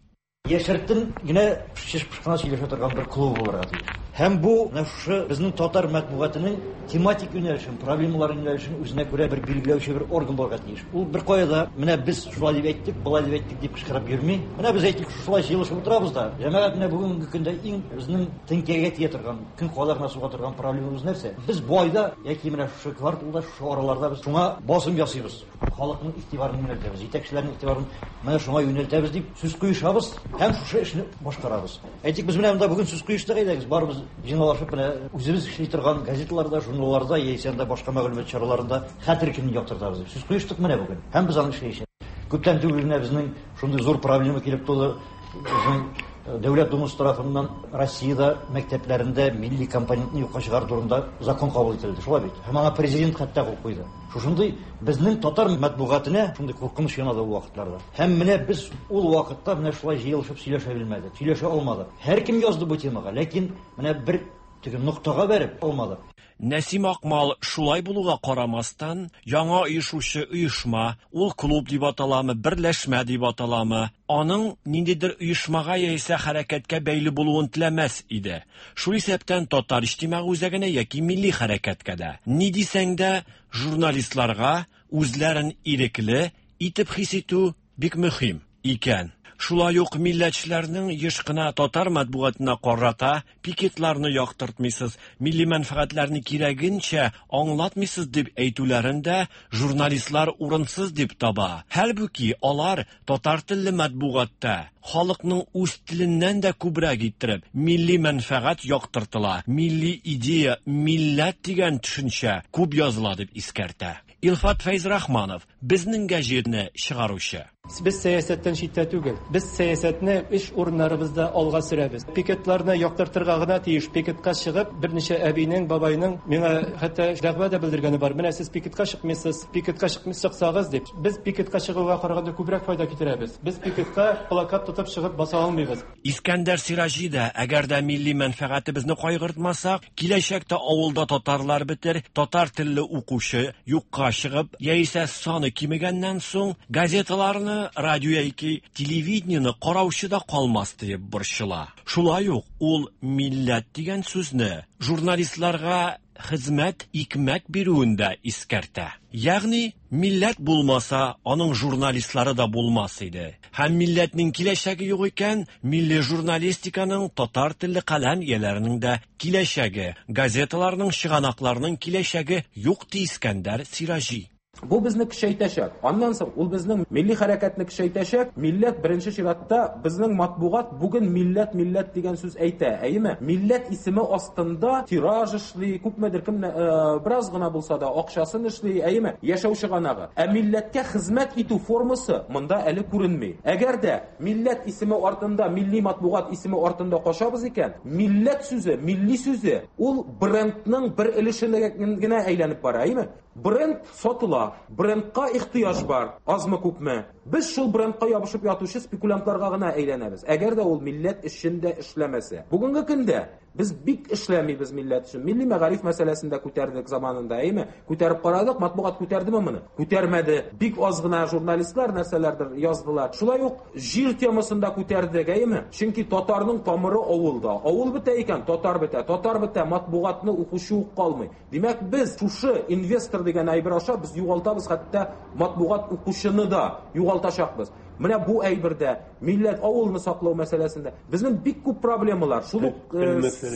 Яшертен генә чыш-пыш кына сөйләшә торган бер клуб булырга тиеш. Һәм бу менә шушы безнең татар матбугатының тематик юнәлешен, проблемалар юнәлешен үзенә күрә бер билгеләүче бер орган булырга тиеш. Ул беркая да менә без шулай дип әйттек, болай дип әйттек дип кычкырып йөрми. Менә без әйтик, шушылай җыелышып утырабыз да, җәмәгать менә бүгенге көндә иң безнең теңкәгә тия торган, көн кадагына суга торган проблемабыз нәрсә? Без бу айда яки менә шушы кварталда, шушы араларда без шуңа басым ясыйбыз. Халыкның игътибарын юнәлтәбез, җитәкчеләрнең игътибарын менә шуңа юнәлтәбез дип сүз куешабыз һәм шушы эшне башкарабыз. Әйтик, без менә монда бүген сүз куештык, әйдәгез, барыбыз җыйналышып менә үзебез эшли торган газеталарда, журналларда яисә анда башка мәгълүмат чараларында хәтер көнен яктыртабыз дип сүз куештык менә бүген. Һәм без аны эшләячәкбез. Күптән түгел генә безнең шундый зур проблема килеп туды. Безнең Дәүләт Думасы тарафыннан Россиядә мәктәпләрендә милли компонентны юкка чыгару турында закон кабул ителде. Шулай бит. Һәм аңа президент хәтта кул куйды. Шушындый безнең татар матбугатына шундый куркыныч янады ул вакытларда. Һәм менә без ул вакытта менә шулай җыелышып сөйләшә белмәдек, сөйләшә алмадык. Һәркем язды бу темага, ләкин менә бер теге ноктага бәреп алмадык. Нәсим Акмал шулай булуга карамастан, яңа оешучы оешма, ул клуб дип аталамы, берләшмә дип аталамы, аның ниндидер оешмага яисә хәрәкәткә бәйле булуын теләмәс иде. Шул исәптән Татар иҗтимагый үзәгенә яки милли хәрәкәткә дә. Ни дисәң дә, журналистларга үзләрен ирекле итеп хис итү бик мөһим икән. Шулай ук милләтчеләрнең еш кына татар матбугатына карата пикетларны яктыртмыйсыз, милли мәнфәгатьләрне кирәгенчә аңлатмыйсыз дип әйтүләрен дә журналистлар урынсыз дип таба. Хәлбуки, алар татар телле матбугатта халыкның үз теленнән дә күбрәк иттереп милли мәнфәгать яктыртыла, милли идея, милләт дигән төшенчә күп языла дип искәртә. Илфат Фәйзрахманов, Безнең гәҗитне чыгаручы. Без сәясәттән читтә түгел. Без сәясәтне эш урыннарыбызда алга сөрәбез. Пикетларны яктыртырга гына тиеш. Пикетка чыгып, берничә әбинең, бабайның миңа хәтта дәгъва да белдергәне бар. Менә сез пикетка чыкмыйсыз, пикетка чыксагыз дип. Без пикетка чыгуга караганда күбрәк файда китерәбез. Без пикетка плакат тотып чыгып баса алмыйбыз. Искәндәр Сираҗи да, әгәр дә милли мәнфәгатебезне кайгыртмасак, киләчәктә авылда татарлар бетер, татар телле укучы юкка чыгып, яисә саны кимегәннән соң, газеталарны, радио яки телевидениене караучы да калмас диеп борчыла. Шулай ук ул милләт дигән сүзне журналистларга хезмәт, икмәк бирүен дә искәртә. Ягъни, милләт булмаса, аның журналистлары да булмас иде. Һәм милләтнең киләчәге юк икән, милли журналистиканың, татар телле каләм ияләренең дә киләчәге, газеталарның, чыганакларның киләчәге юк, ди Искәндәр Сираҗи. Бу безне көчәйтәчәк. Аннан соң ул безнең милли хәрәкәтне көчәйтәчәк. Милләт беренче чиратта безнең матбугат бүген милләт, милләт дигән сүз әйтә, әйеме? Милләт исеме астында тираж эшли, күпмедер кем бераз гына булса да акчасын эшли, әйеме? Яшәү чыганагы. Ә милләткә хезмәт итү формасы монда әле күренми. Әгәр дә милләт исеме артында, милли матбугат исеме артында качабыз икән, милләт сүзе, милли сүзе ул брендның бер өлешенә генә әйләнеп бара, әйеме? Бренд сатыла, брендка ихтыяҗ бар, азмы-күпме. Без шул брендка ябышып ятучы спекулянтларга гына әйләнәбез, әгәр дә ул милләт өчен дә эшләмәсә. Бүгенге көндә без бик эшләмибез милләт өчен. Милли мәгариф мәсьәләсен дә күтәрдек заманында, әйеме? Күтәреп карадык, матбугат күтәрдеме моны? Күтәрмәде. Бик аз гына журналистлар нәрсәләрдер яздылар. Шулай ук җир темасын да күтәрдек, әйеме? Чөнки татарның тамыры авылда. Авыл бетә икән, татар бетә. Татар бетә, матбугатны укучы ук калмый. Димәк, без шушы инвестор дигән әйбер аша без югалтабыз, хәтта матбугат укучыны да югалтачакбыз. Менә бу әйбердә, милләт, авылны саклау мәсьәләсендә безнең бик күп проблемалар. Шул ук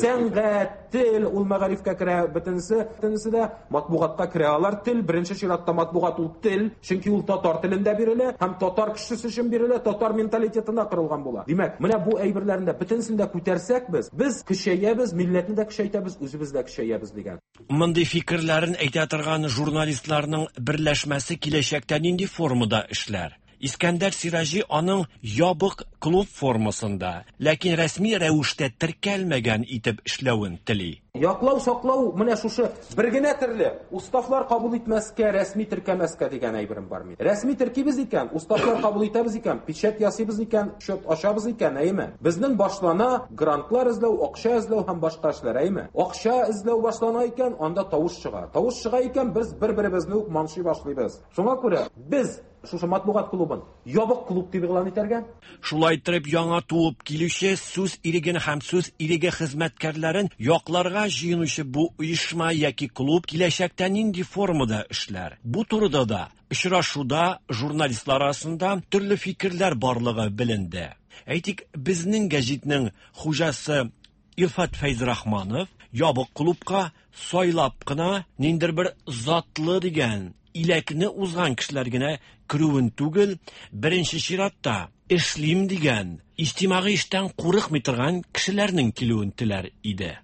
сәнгать, тел, ул мәгарифкә керә, бөтенесе, бөтенесе дә матбугатка керә. Алар тел, беренче чиратта матбугат ул тел, чөнки ул татар телендә бирелә һәм татар кешесе өчен бирелә, татар менталитетына корылган була. Димәк, менә бу әйберләрне дә бөтенесен дә күтәрсәк без, без көчәябез, милләтне дә көчәйтәбез, үзебез дә көчәябез дигән. Мондый фикерләрен әйтә торган журналистларның берләшмәсе киләчәктә нинди формада эшләр? Искәндәр Сираҗи аның ябык клуб формасында, ләкин рәсми рәвештә теркәлмәгән итеп эшләвен тели. Яклау, саклау менә шушы бер генә төрле уставлар кабул итмәскә, рәсми теркәмәскә дигән әйберем бар минем. Рәсми теркибез икән, уставлар кабул итәбез икән, печать ясыйбыз икән, счет ачабыз икән, әйеме? Безнең башлана грантлар эзләү, акча эзләү һәм башка эшләр, әйеме? Акча эзләү башлана икән, анда тавыш чыга. Тавыш чыга икән, без бер-беребезне үк манчый башлыйбыз. Шуңа күрә без шушы матбугат клубын ябык клуб дип игълан итәргә. Шулай иттереп, яңа туып килүче сүз иреген һәм сүз иреге хезмәткәрләрен якларга җыенучы бу оешма яки клуб киләчәктә нинди формада эшләр? Бу турыда да очрашуда журналистлар арасында төрле фикерләр барлыгы беленде. Әйтик, Безнең гәҗитнең хуҗасы Илфат Фәйзрахманов ябык клубка сайлап кына ниндидер бер затлы дигән иләкне узган кешеләр генә керүен түгел, беренче чиратта эшлим дигән, иҗтимагый эштән курыкмый торган кешеләрнең килүен теләр иде.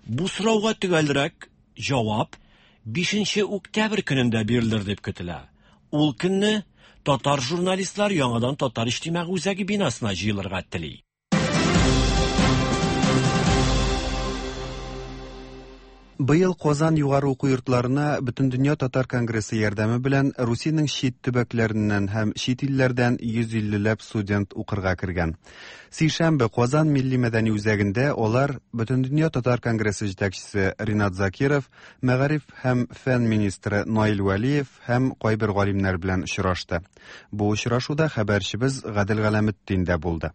Бу сорауга төгәлрәк җавап 5 октябрь көнендә бирелер дип көтелә. Ул көнне татар журналистлар яңадан Татар иҗтимагый үзәге бинасына җыелырга тели. Быел Казан югары уку йортларына Бөтендөнья татар конгрессы ярдәме белән Русиянең чит төбәкләреннән һәм чит илләрдән 150 ләп студент укырга кергән. Сишәмбе Казан милли мәдәни үзәгендә алар Бөтендөнья татар конгрессы җитәкчесе Ринат Закиров, мәгариф һәм фән министры Наил Вәлиев һәм кайбер галимнәр белән очрашты. Бу очрашуда хәбәрчебез Гадел Галәметдин дә булды.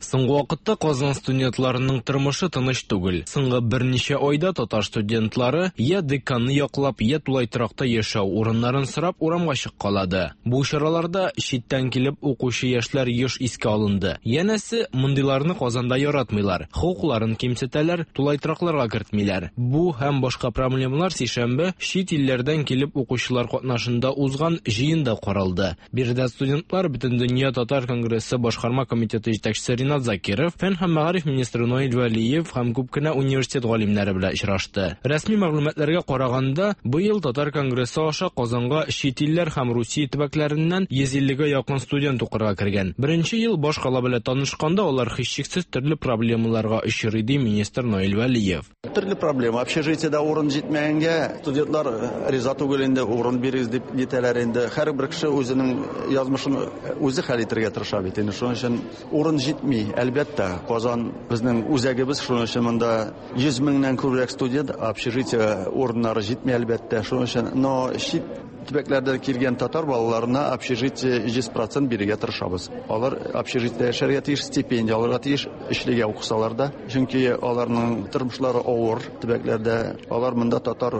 Соңгы вакытта Казан студентларының тормышы тыныч түгел. Соңгы берничә айда татар студентлары я деканны яклап, я тулай торакта яшәү урыннарын сорап урамга чыккалады. Бу чараларда читтән килеп укучы яшьләр еш искә алынды. Янәсе, мондыйларны Казанда яратмыйлар, хокукларын кимсетәләр, тулай торакларга кертмиләр. Бу һәм башка проблемалар сишәмбе чит илләрдән килеп укучылар катнашында узган җыенда каралды. Биредә студентлар Бөтендөнья татар конгрессы башкарма комитеты җитәкчесе Ринат Закиров, фән һәм мәгариф министры Наил Вәлиев һәм күп кенә университет галимнәре белән очрашты. Рәсми мәгълүматларга караганда, быел татар конгрессы аша Казанга чит илләр һәм Русия төбәкләреннән 150 гә якын студент укырга кергән. Беренче ел башкала белән танышканда алар һичшиксез төрле проблемаларга очрый, ди министр Наил Вәлиев. Төрле проблема. Общежитиедә урын җитмәгәнгә студентлар риза түгел инде, урын бирегез дип нитәләр инде. Һәрбер кеше үзенең язмышын үзе хәл итәргә тырыша бит инде. Шуның өчен урын җитми, әлбәттә. Казан безнең үзәгебез, шуның өчен монда 100 меңнән күбрәк студент, общежитие урыннары җитми, әлбәттә. Шуның өчен, но чит төбәкләрдән килгән татар балаларына общежитие 100% бирергә тырышабыз. Алар общежитиедә яшәргә тиеш, стипендия алырга тиеш, өчлегә укысалар да. Чөнки аларның тормышлары авыр төбәкләрдә. Алар монда татар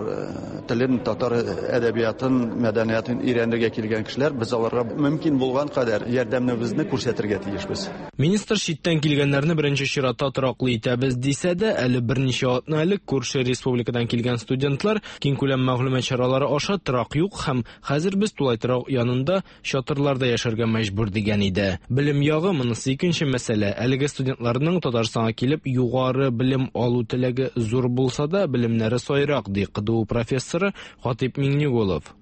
телен, татар әдәбиятын, мәдәниятын өйрәнергә килгән кешеләр. Без аларга мөмкин булган кадәр ярдәмебезне күрсәтергә тиешбез. Министр читтән килгәннәрне беренче чиратта тораклы итәбез дисә дә, әле берничә атна элек күрше республикадан килгән студентлар киңкүләм мәгълүмат чаралары аша торак юк һәм хәзер без тулай торак янында чатырларда яшәргә мәҗбүр дигән иде. Белем ягы монысы икенче мәсьәлә. Әлеге студентларның Татарстанга килеп югары белем алу теләге зур булса да, белемнәре сайрак, ди КДУ профессоры Хатыйп Миңнеголов.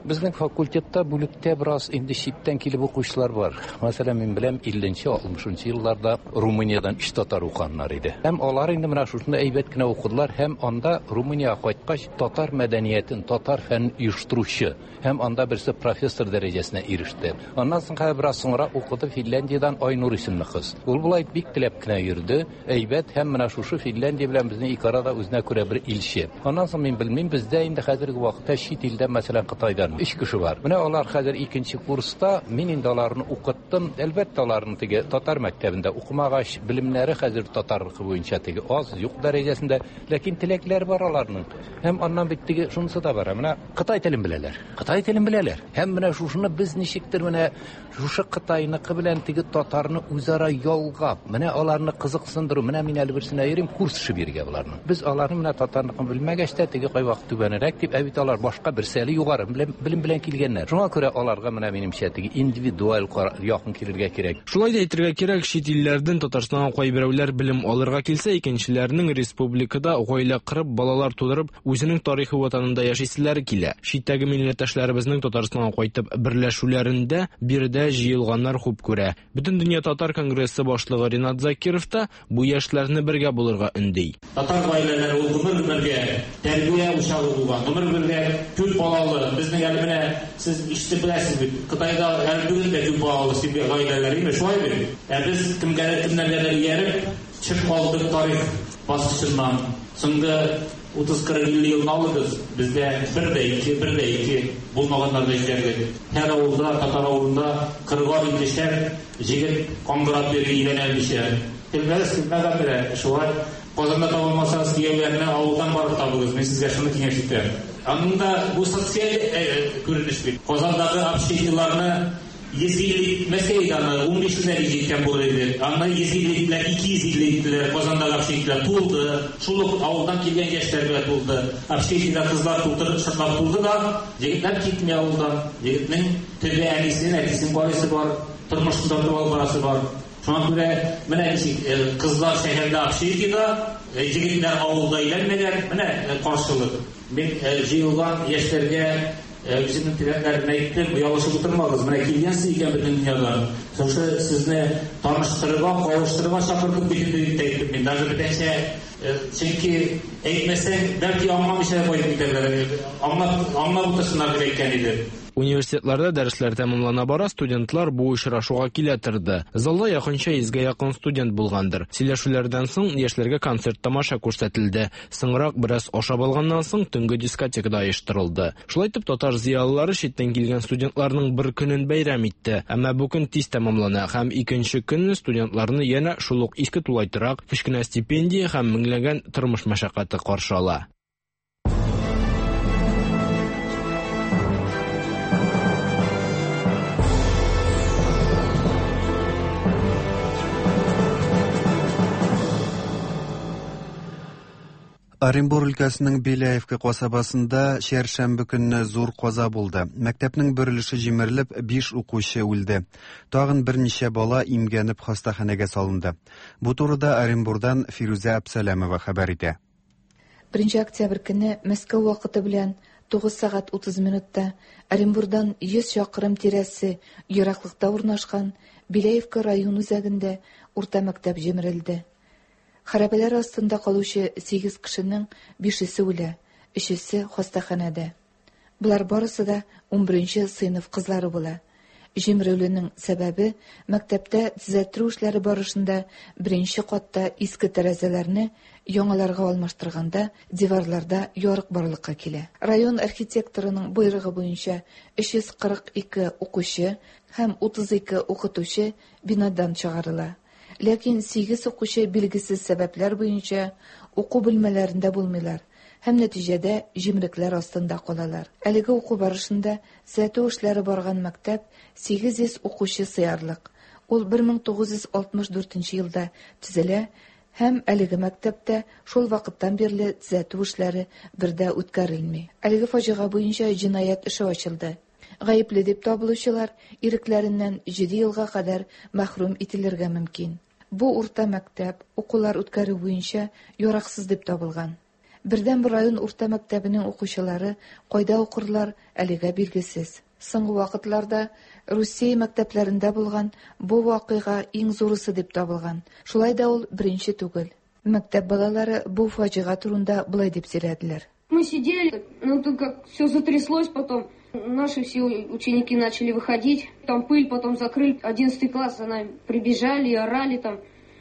Безнең факультетта, бүлектә бераз инде читтән килеп укучылар бар. Мәсәлән, мин беләм, 50-нче, 60-нчы елларда Румыниядән өч татар укыганнар иде. Һәм алар инде менә шушында әйбәт кенә укыдылар һәм анда Румыниягә кайткач татар мәдәниятен, татар фәнен оештыручы һәм анда берсе профессор дәрәҗәсенә иреште. Аннан соң хәзер бераз соңрак укыды Финляндиядән Айнур исемле кыз. Ул болай бик теләп кенә йөрде, әйбәт һәм менә шушы Финляндия белән безнең ике арада үзенә күрә бер илче. Аннан соң мин белмим, бездә инде хәзерге вакытта чит илдән, мәсәлән, Кытайдан. Өч кеше бар. Менә алар хәзер икенче курста, мин инде аларны укыттым. Әлбәттә, аларның теге татар мәктәбендә укымагач, белемнәре хәзер татарныкы буенча теге аз, юк дәрәҗәсендә, ләкин теләкләр бар аларның. Һәм аннан бит теге шунысы да бар. Менә кытай телен беләләр. Кытай телен беләләр. Һәм менә шушыны без ничектер менә шушы кытайныкы белән теге татарны үзара ялгап, менә аларны кызыксындыру, менә мин әле берсенә йөрим, курс эше бирергә боларның. Без аларны менә татарныкын белмәгәч тә, теге кайвакыт түбәнрәк дип, ә бит алар башка берсе әле югары белем белән килгәннәр. Шуңа күрә аларга менә минемчә теге индивидуаль якын килергә кирәк. Шулай да әйтергә кирәк, чит илләрдән Татарстанга кайберәүләр белем алырга килсә, икенчеләренең республикада гаилә корып, балалар тудырып, үзенең тарихи ватанында яшиселәре килә. Читтәге милләттәшләребезнең Татарстанга кайтып берләшүләрендә биредә җыелганнар хуп күрә. Бөтендөнья татар конгрессы башлыгы Ринат Закиров та бу яшьләрне бергә булырга өнди. Татар гаиләләре ул гомер-гомергә тәрбия учагы булган, гомер-гомергә күп балалы. Безнең әле менә сез ишетеп беләсез бит, Кытайда әле бүген дә күп балалы семья гаиләләр, име, шулай бит? Ә без кемгә кемнәргәдер ияреп чыгып калдык тарих баскычыннан. Соңгы 30-40-50 елны алыгыз, бездә бер дә ике, бер дә ике булмаганнар да җитәрлек. Һәр авылда, татар авылында кырыгар иллешәр җегет каңгырап йөри өйләнә алмыйча. Көлмәгез, көлмәгән белә, шулай. Казанда таба алмасагыз, кияүләрне авылдан барып табыгыз, мин сезгә шуны киңәш итәм. Аның да бу социаль күренеш бит. Казандагы общежитиеларны 150 итмәсә иде аны, 15 меңнәр җиткән булыр иде. Аны 150 иттеләр, 250 иттеләр, Казандагы общежитиеләр тулды. Шул ук авылдан килгән яшьләр белән тулды. Общежитиедә кызлар тутырып, шыплап тулды да, егетләр китми авылдан. Егетнең төбе әнисен, әтисен карыйсы бар, тормышын тартып алып барасы бар. Шуңа күрә менә ничек кызлар шәһәрдә общежитиедә, егетләр авылда өйләнмәгән, менә каршылык. Мин җыелган яшьләргә үземнең теләкләремне әйттем, оялышып утырмагыз, менә килгәнсез икән бөтен дөньядан. Шушы сезне таныштырырга, кавыштырырга чакырдык бит инде дип тә әйттем мин. Даже бүтәнчә, чөнки әйтмәсәң, бәлки аңламыйча да кайтып китәрләр. Аңлап, аңлап утырсыннар дип әйткән иде. Университетларда дәресләр тәмамлана бара, студентлар бу очрашуга килә торды. Залда якынча йөзгә якын студент булгандыр. Сөйләшүләрдән соң яшьләргә концерт-тамаша күрсәтелде. Соңрак, бераз ашап алганнан соң, төнге дискотека да оештырылды. Шулай итеп, татар зыялылары читтән килгән студентларның бер көнен бәйрәм итте. Әмма бу көн тиз тәмамлана һәм икенче көнне студентларны янә шул ук иске тулай торак, кечкенә стипендия һәм меңләгән тормыш мәшәкате каршы ала. Оренбур өлкәсенең Беляевка касабасында чәршәмбе көнне зур каза булды. Мәктәпнең бер өлеше җимерелеп, биш укучы үлде. Тагын берничә бала имгәнеп хастаханәгә салынды. Бу турыда Оренбурдан Фирүзә Әпсәләмова хәбәр итә. 1 октябрь көнне Мәскәү вакыты белән 9 сәгать 30 минутта Оренбурдан 100 чакрым тирәсе ераклыкта урнашкан Беляевка район үзәгендә урта мәктәп җимерелде. Хәрабәләр астында калучы сигез кешенең бишесе үлә, өчесе хастаханәдә. Болар барысы да унберенче сыйныф кызлары була. Җимерелүнең сәбәбе, мәктәптә төзәттерү эшләре барышында беренче катта иске тәрәзәләрне яңаларга алмаштырганда диварларда ярык барлыкка килә. Район архитекторының боерыгы буенча 342 укучы һәм 32 укытучы бинадан чыгарыла. Ләкин сигез укучы билгесез сәбәпләр буенча уку бүлмәләрендә булмыйлар һәм нәтиҗәдә җимерекләр астында калалар. Әлеге уку барышында төзәтү эшләре барган мәктәп 800 укучы сыярлык. Ул 1964 елда төзелә һәм әлеге мәктәптә шул вакыттан бирле төзәтү эшләре бер дә үткәрелми. Әлеге фаҗига буенча җинаять эше ачылды. Гаепле дип табылучылар ирекләреннән җиде елга кадәр мәхрүм ителергә мөмкин. Бу урта мәктәп укулар үткәрү буенча яраксыз дип табылган. Бердәнбер район урта мәктәбенең укучылары кайда укырлар, әлегә билгесез. Соңгы вакытларда Русия мәктәпләрендә булган бу вакыйга иң зурысы дип табылган. Шулай да ул беренче түгел. Мәктәп балалары бу фаҗига турында болай дип сөйләделәр. Мы сидели, ну тут как все затряслось потом. Наши все ученики начали выходить. Там пыль потом закрыли. 11 класс за нами прибежали и орали там.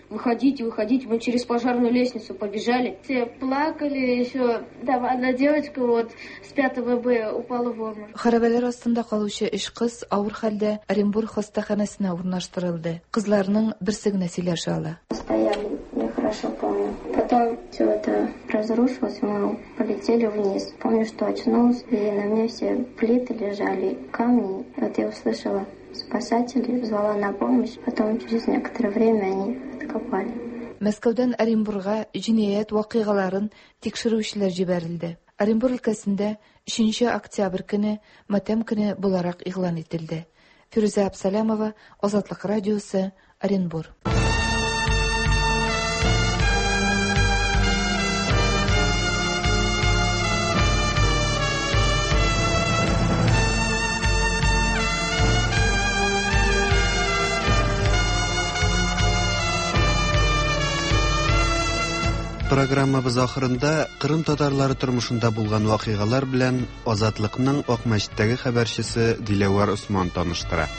Выходите, выходите. Мы через пожарную лестницу побежали. Все плакали еще. Там одна девочка вот с 5 Б упала в обморок. Хәрабәләр астында калучы өч кыз авыр хәлдә Оренбур хастаханәсенә урнаштырылды. Кызларның берсе генә сөйләшә ала. Стояли, я хорошо помню. Потом все это разрушилось, мы полетели вниз. Помню, что очнулась, и на мне все плиты лежали, камни. Вот я услышала спасателей, звала на помощь. Потом через некоторое время они откопали. Мәскәүдән Оренбурга җинаять вакыйгаларын тикшерүчеләр җибәрелде. Оренбур өлкәсендә 3 октябрь көне матәм көне буларак игълан ителде. Фирүзә Абсалямова, Азатлык радиосы, Оренбур. Программабыз ахырында Кырым татарлары тормышында булган вакыйгалар белән Азатлыкның Акмәчеттәге хәбәрчесе Диләвәр Осман таныштыра.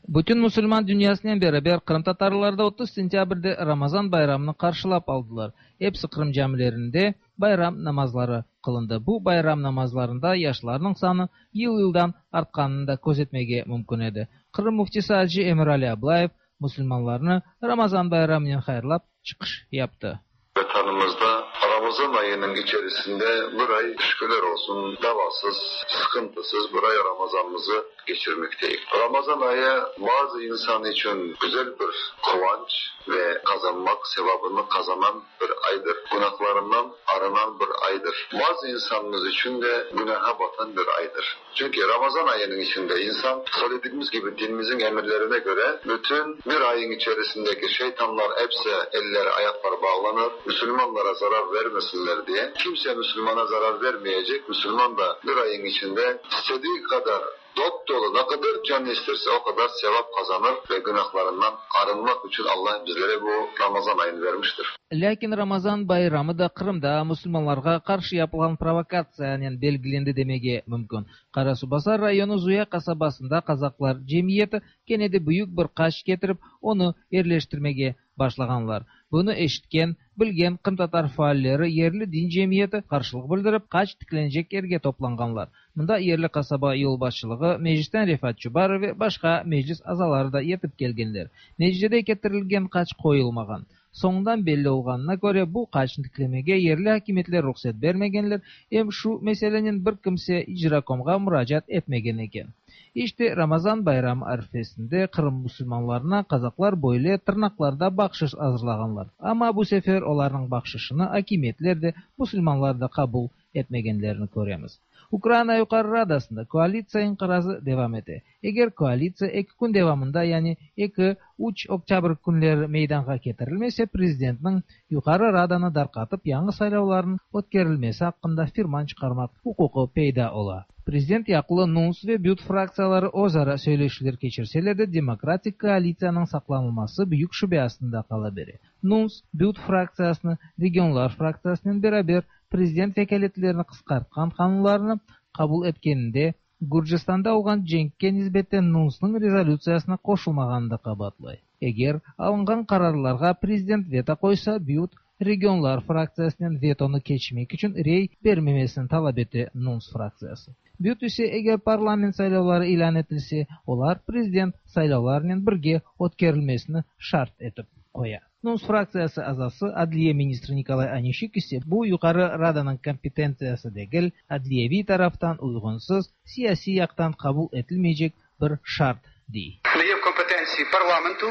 Bütün musulman dünyasınen beraber qırımtatarlar da 30 sentâbrde Ramazan bayramını qarşılap aldılar. Episi Qırım camilerinde bayram namazları qılındı. Bu bayram namazlarında yaşlarnıñ sanı yıl-yıldan artqanını da közetmege mümkün edi. Qırım müftisi acı Emirali Ablayev musulmanlarnı Ramazan bayramınen hayırlap çıqış yaptı. Vetanımızda Ramazan ayının içerisinde bir ay şükürler olsun davasız, sıkıntısız bir ay Ramazanımızı geçirmekteyiz. Ramazan ayı bazı insan için güzel bir kıvanç ve kazanmak sevabını kazanan bir aydır. Günahlarından arınan bir aydır. Bazı insanımız için de günaha batan bir aydır. Çünkü Ramazan ayının içinde insan söylediğimiz gibi dinimizin emirlerine göre bütün bir ayın içerisindeki şeytanlar hepsi elleri ayakları bağlanır. Müslümanlara zarar vermesinler diye. Kimse Müslümana zarar vermeyecek. Müslüman da bir ayın içinde istediği kadar dop dolu ne kadar can isterse o kadar sevap kazanır ve günahlarından arınmak için Allah bizlere bu Ramazan ayını vermiştir. Lâkin Ramazan bayramı da Qırımda musulmanlarğa qarşı yapılğan provokatsiyanen belgilendi demege mümkün. Qarasuvbazar rayonı Zuya qasabasında qazaqlar cemiyeti kene de büyük bir qaç ketirip, onı yerleştirmege başlağanlar. Bunı eşitken, bilgen qırımtatar faalleri yerli din cemiyeti qarşılıq bildirip, qaç tiklenecek yerge toplanğanlar. Mında yerli qasaba yolbaşçılığı, Meclisten Refat Çubarov ve başqa meclis azaları da yetip kelgenler. Neticede ketirilgen qaç qoyulmağan. Soñundan belli olğanına köre, bu qaçnı tiklemege yerli akimiyetler ruhset bermegenler, em şu meselenen bir kimse icrakomğa muracaat etmegen eken. İşte, Ramazan bayramı arfesinde Qırım musulmanlarına qazaqlar böyle tırnaqlarda bahşış azırlağanlar. Amma bu sefer olarnıñ bahşışını akimiyetler de, musulmanlar da qabul etmegenlerini köremiz. Ukraina Yuqarı Radasında koalitsiya inqirazı devam ete. Eger koalitsiya eki kün devamında, yani eki, üç oktâbr künleri meydanğa ketirilmese, prezidentniñ Yuqarı Radanı darqatıp yañı saylavlarnıñ ötkerilmesi aqqında firman çıqarmaq uquqı peyda ola. Prezident yaqlı NUNS ve BYUT fraktsiyaları özara söyleşüvler keçirseler de, demokratik koalitsiyanıñ saqlanılması büyük şübe astında qala bere. NUNS, BYUT fraktsiyasını Regionlar fraktsiyasınen beraber prezident vekâletlerini qısqartqan qanunlarnı qabul etkeninde Gürcistanda olğan cenkke nisbeten NUNSnıñ rezolütsiyasına qoşulmağanını da qabaatlay. Eger alınğan qararlarğa prezident veto qoysa, BYUT, Regionlar fraktsiyasınen vetonı keçmek içün rey bermemesini talap ete NUNS fraktsiyası. BYUT ise eger parlament saylavları ilân etilse, olar prezident saylavlarınen birge ötkerilmesini şart etip qoya. NUNS fraktsiyası azası, adliye ministri Nikolay Onişçuk ise bu Yuqarı Radanıñ kompetentsiyası degil, adliyeviy taraftan uyğunsız, siyasiy yaqtan qabul etilmeycek bir şart, dey. Не є в компетенції парламенту,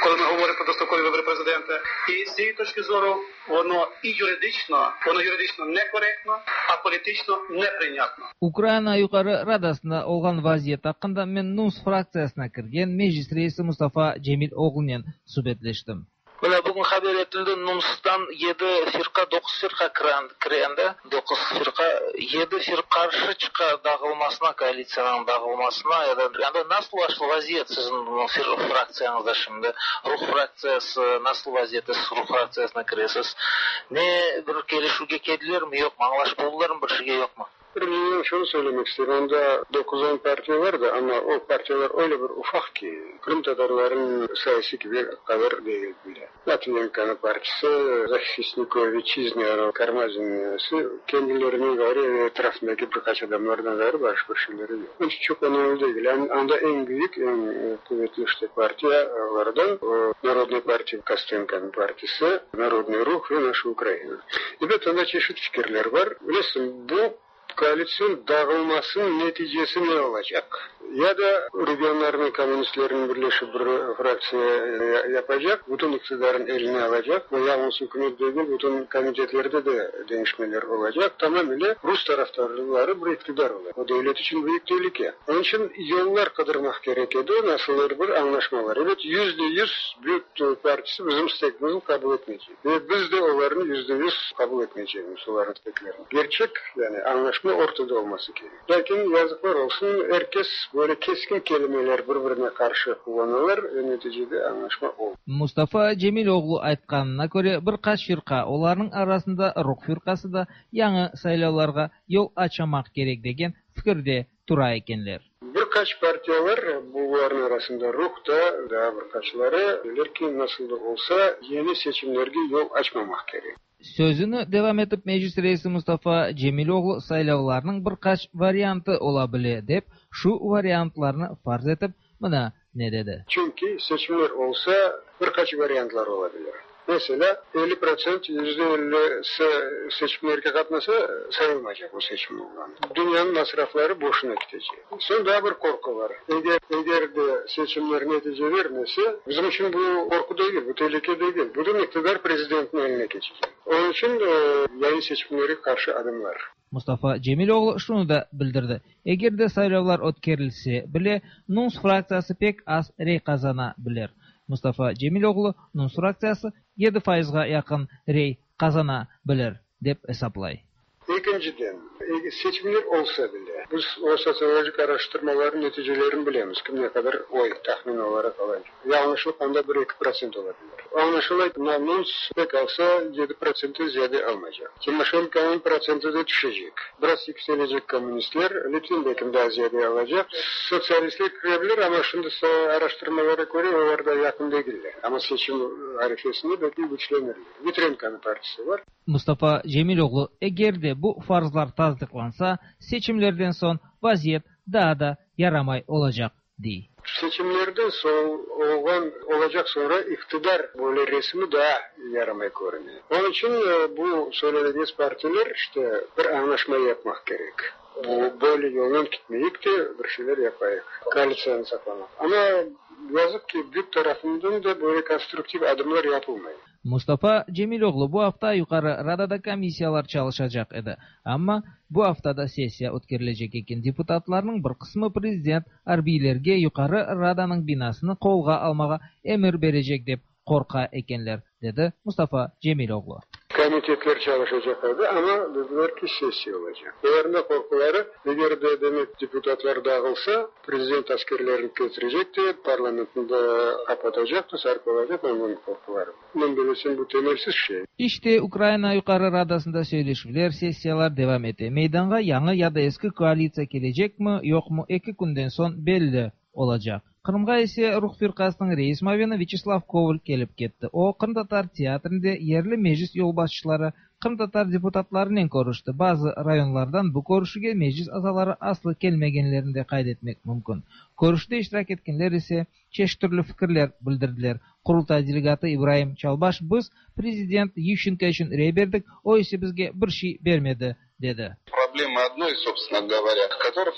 коли ми говоримо про дострокові вибори президента. І з цієї точки зору воно і юридично, воно юридично некоректно, а політично неприйнятно. Ukraina Yuqarı Radasında olğan vaziyet aqqında men NUNS fraktsiyasına kirgen Meclis reisi Mustafa Cemil oğlunen subetleştim. Mına bugün haber etildi, NUNStan yedi firqa, doquz firqa kire anda, doquz firqa, yedi firqa qarşı çıqa dağılmasına, koalitsiyanıñ dağılmasına ya da anda nasıl vaziyet siziñ fraktsiyañızda şimdi? Ruh fraktsiyası nasıl vaziyette, siz Ruh fraktsiyasına kiresiz? Ne bir kelişüvge keldilermi, yoqmı, añlaşıp oldılarmı bir şeyge, yoqmı? Birinciden şunı söylemek isteyim, anda 9-10 partiya var da, amma o partiyalar öyle bir ufaq ki, qırımtatarlarnıñ sayısı kibi qadar degil bile. Latvinenkonıñ partisi, Zahisnikov Vitçiznı, Karmazinniñsi, kendilerinden ğayrı ve etrafındaki bir qaç adamlardan ğayrı başqa bir şeyleri yoq. Onıñ içün çoq önemli degil. Anda eñ büyük, eñ quvetli işte partiyalardan o Narodnıy partiya, Kostenkonıñ partisi, Narodnıy ruh ve Naşa Ukraina. Ebet, anda çeşit fikirler bar. Bilesiñ, bu koalitsion dağılmasınıñ neticesi ne olacaq? Ya da regionlarnıñ kommunistleriniñ birleşip bir fraktsiya yapacaq, bütün iqtidarın eline alacaq, ve yalıñız ükümet degil, bütün komitetlerde de deñişmeler olacaq, tamamile rus tarafdarları bir iqtidar olacaq. O devlet içün büyük telüke. Onıñ içün yollar qıdırmaq kerek edi, nasıldır bir añlaşmalar. Ebet, 100% büyük partisi bizim istegimizni qabul etmeycek. Ve biz de olarnı 100% qabul etmeycegimiz, olarnıñ isteklerini. Kerçek, yani añlaşma ortada olması kerek. Lâkin, yazıqlar olsun, er kes böyle keskin kelimeler bir-birine qarşı qullanalar ve neticede añlaşma olmay. Mustafa Cemiloğlu aytqanına köre, bir qaç firqa, olarnıñ arasında Ruh firqası da, yañı saylavlarğa yol açamaq kerek degen fikirde tura ekenler. Bir qaç partiyalar, bularnıñ arasında Ruh da, daa bir qaçları, deyler ki, nasıl da olsa, yeni seçimlerge yol açmamaq kerek. Sözüni devam etip Meclis reisi Mustafa Cemiloğlu saylavlarnıñ bir qaç variantı ola bile dep, şu variantlarnı farz etip, mına ne dedi. Çünki seçimler olsa, bir qaç variantlar ola bilir. Meselâ, 50%, 50%si seçimlerge qatnasa, sayılmaycaq o seçim olğanı. Dünyanıñ masrafları boşuna ketecek. Soñ daa bir qorqu bar. Eger, eger de seçimler netice bermese, bizim içün bu qorqu degil, bu telüke degil, bütün iqtidar prezidentniñ eline keçecek. Onıñ içün yañı seçimlerge qarşı adımlar. Mustafa Cemiloğlu şunı da bildirdi, eger de saylavlar ötkerilse bile, NUNS fraktsiyası pek az rey qazana bilir. Mustafa Cemiloğlu, NUNS fraktsiyası yedi fayızğa yaqın rey qazana bilir, dep esaplay. Ekinciden, seçimler olsa bile, biz o sotsiologik araştırmalarnıñ neticelerini bilemiz, kim ne qadar oy tahmin olaraq ala. Yañlışlıq anda bir-eki protsent ola bilir. Añlaşıla, NUNS pek alsa 7%ten ziyade almaycaq. Timoşenkonıñ protsenti de tüşecek. Biraz yükselecek kommunistler, Litvin belkim daa ziyade alacaq. Sotsialistler kire bilir, amma şimdi araştırmalara köre olar da yaqın degiller. Amma seçim arifesinde belkim küçlenirler. Vitrenkonıñ partisi bar. Mustafa Cemiloğlu, eger de bu farzlar tasdıqlansa, seçimlerden soñ vaziyet daa da yaramay olacaq, dey. Seçimlerden soñ olğan olacaq soñra iqtidar böyle resmi daa yaramay körüne. Onıñ içün bu söyledigiñiz partiler işte bir añlaşma yapmaq kerek. Bu böyle yolnen ketmeyik de, bir şeyler yapayıq, koalitsiyanı saqlamaq. Amma yazıq ki, BÜK tarafından da böyle konstruktiv adımlar yapılmay. Mustafa Cemiloğlu bu afta Yuqarı Radada komissiyalar çalışacaq edi, amma bu afta da sessiya ötkerilecek eken. Deputatlarnıñ bir qısmı prezident arbiylerge Yuqarı Radanıñ binasını qolğa almağa emir berecek dep qorqa ekenler, dedi Mustafa Cemiloğlu. Komitetler çalışacaq edi, amma dediler ki, sessiya olacaq. Olarnıñ da qorquları, eger de, demek, deputatlar dağılsa, prezident askerlerini ketirecek de, parlamentni de qapatacaq da, sarıp alacaq, onıñ qorquları. Men bellesem, bu temelsiz şey. İşte, Ukraina Yuqarı Radasında söyleşüvler, sessiyalar devam ete. Meydanğa yañı ya da eski koalitsiya kelecekmi, yoqmı, eki künden soñ belli olacaq. Qırımğa ise Ruh firqasınıñ reis muavini Vyaçeslav Koval kelip ketti. O, qırımtatar teatrinde yerli meclis yolbaşçıları, qırımtatar deputatlarınen körüşti. Bazı rayonlardan bu körüşüvge meclis azaları aslı kelmegenlerini de qayd etmek mümkün. Körüşüvde iştirak etkenler ise çeşit türlü fikirler bildirdiler. Qurultay delegatı İbraim Çalbaş, Biz prezident Yuşçenko içün rey berdik, o ise bizge bir şey bermedi, dedi. Проблемы одной, собственно говоря, которая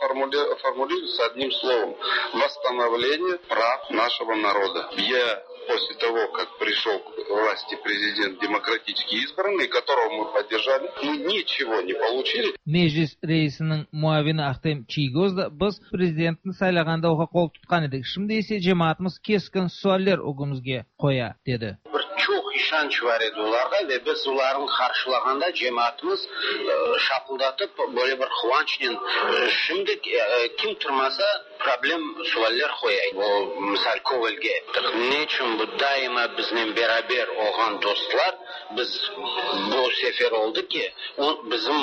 формулируется одним словом: восстановление прав нашего народа. Я после того, как пришел к власти президент демократически избранный, которого мы поддержали, мы ничего не получили. Meclis reisiniñ muavini Ahtem Çiygoz da, Biz prezidentni saylağanda oña qol tutqan edik, şimdi ise cemaatımız keskin sualler ögümizge qoya, dedi. Bir çoq işanç var edi olarğa ve biz olarnı qarşılağanda cemaatımız şapıldatıp böyle bir quvançnen şimdi kim turmasa problem sualler qoya. O, misal, Kovalge ayttıq, ne içün bu daima biznen beraber olğan dostlar, biz bu sefer oldı ki, o, bizim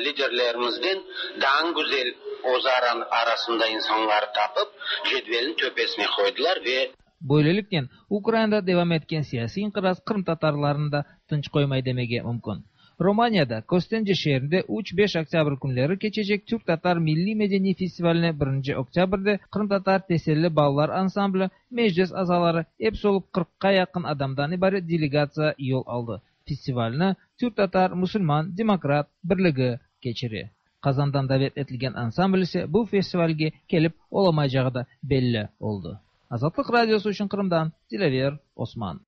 liderlerimizden daa güzel özara arasında insanları tapıp, cedvelniñ töpesine qoydılar ve. Böyleliknen, Ukrainada devam etken siyasiy inqiraz qırımtatarlarnı da tınç qoymay demege mümkün. Romaniyada, Köstence şeerinde üç, beş oktâbr künleri keçecek Türk-tatar milliy-medeniy festivaline birinci oktâbrde qırımtatar Teselli balalar ansambli, Meclis azaları, episi olıp qırqqa yaqın adamdan ibaret delegatsiya yol aldı. Festivalni Türk-tatar musulman demokrat birligi keçire. Qazandan davet etilgen ansambl ise bu festivalge kelip olamaycağı da belli oldı. Azatlıq Radiosı içün Qırımdan Dilâver Osman.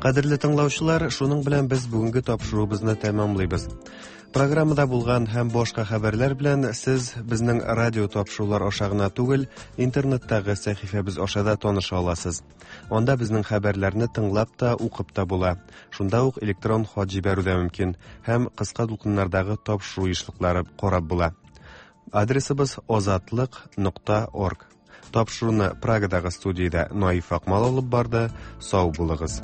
Кадерле тыңлаучылар, шуның белән без бүгенге тапшыруыбызны тәмамлыйбыз. Программада булган һәм башка хәбәрләр белән сез безнең радио тапшырулар аша гына түгел, интернеттагы сәхифәбез аша да таныша аласыз. Анда безнең хәбәрләрне тыңлап та, укып та була. Шунда ук электрон хат җибәрү дә мөмкин һәм кыска дулкыннардагы тапшыру ешлыклары карап була. Адресыбыз озатлык.орг. Тапшыруны Прагадагы студиядә Наиф Акмал алып барды. Сау булыгыз.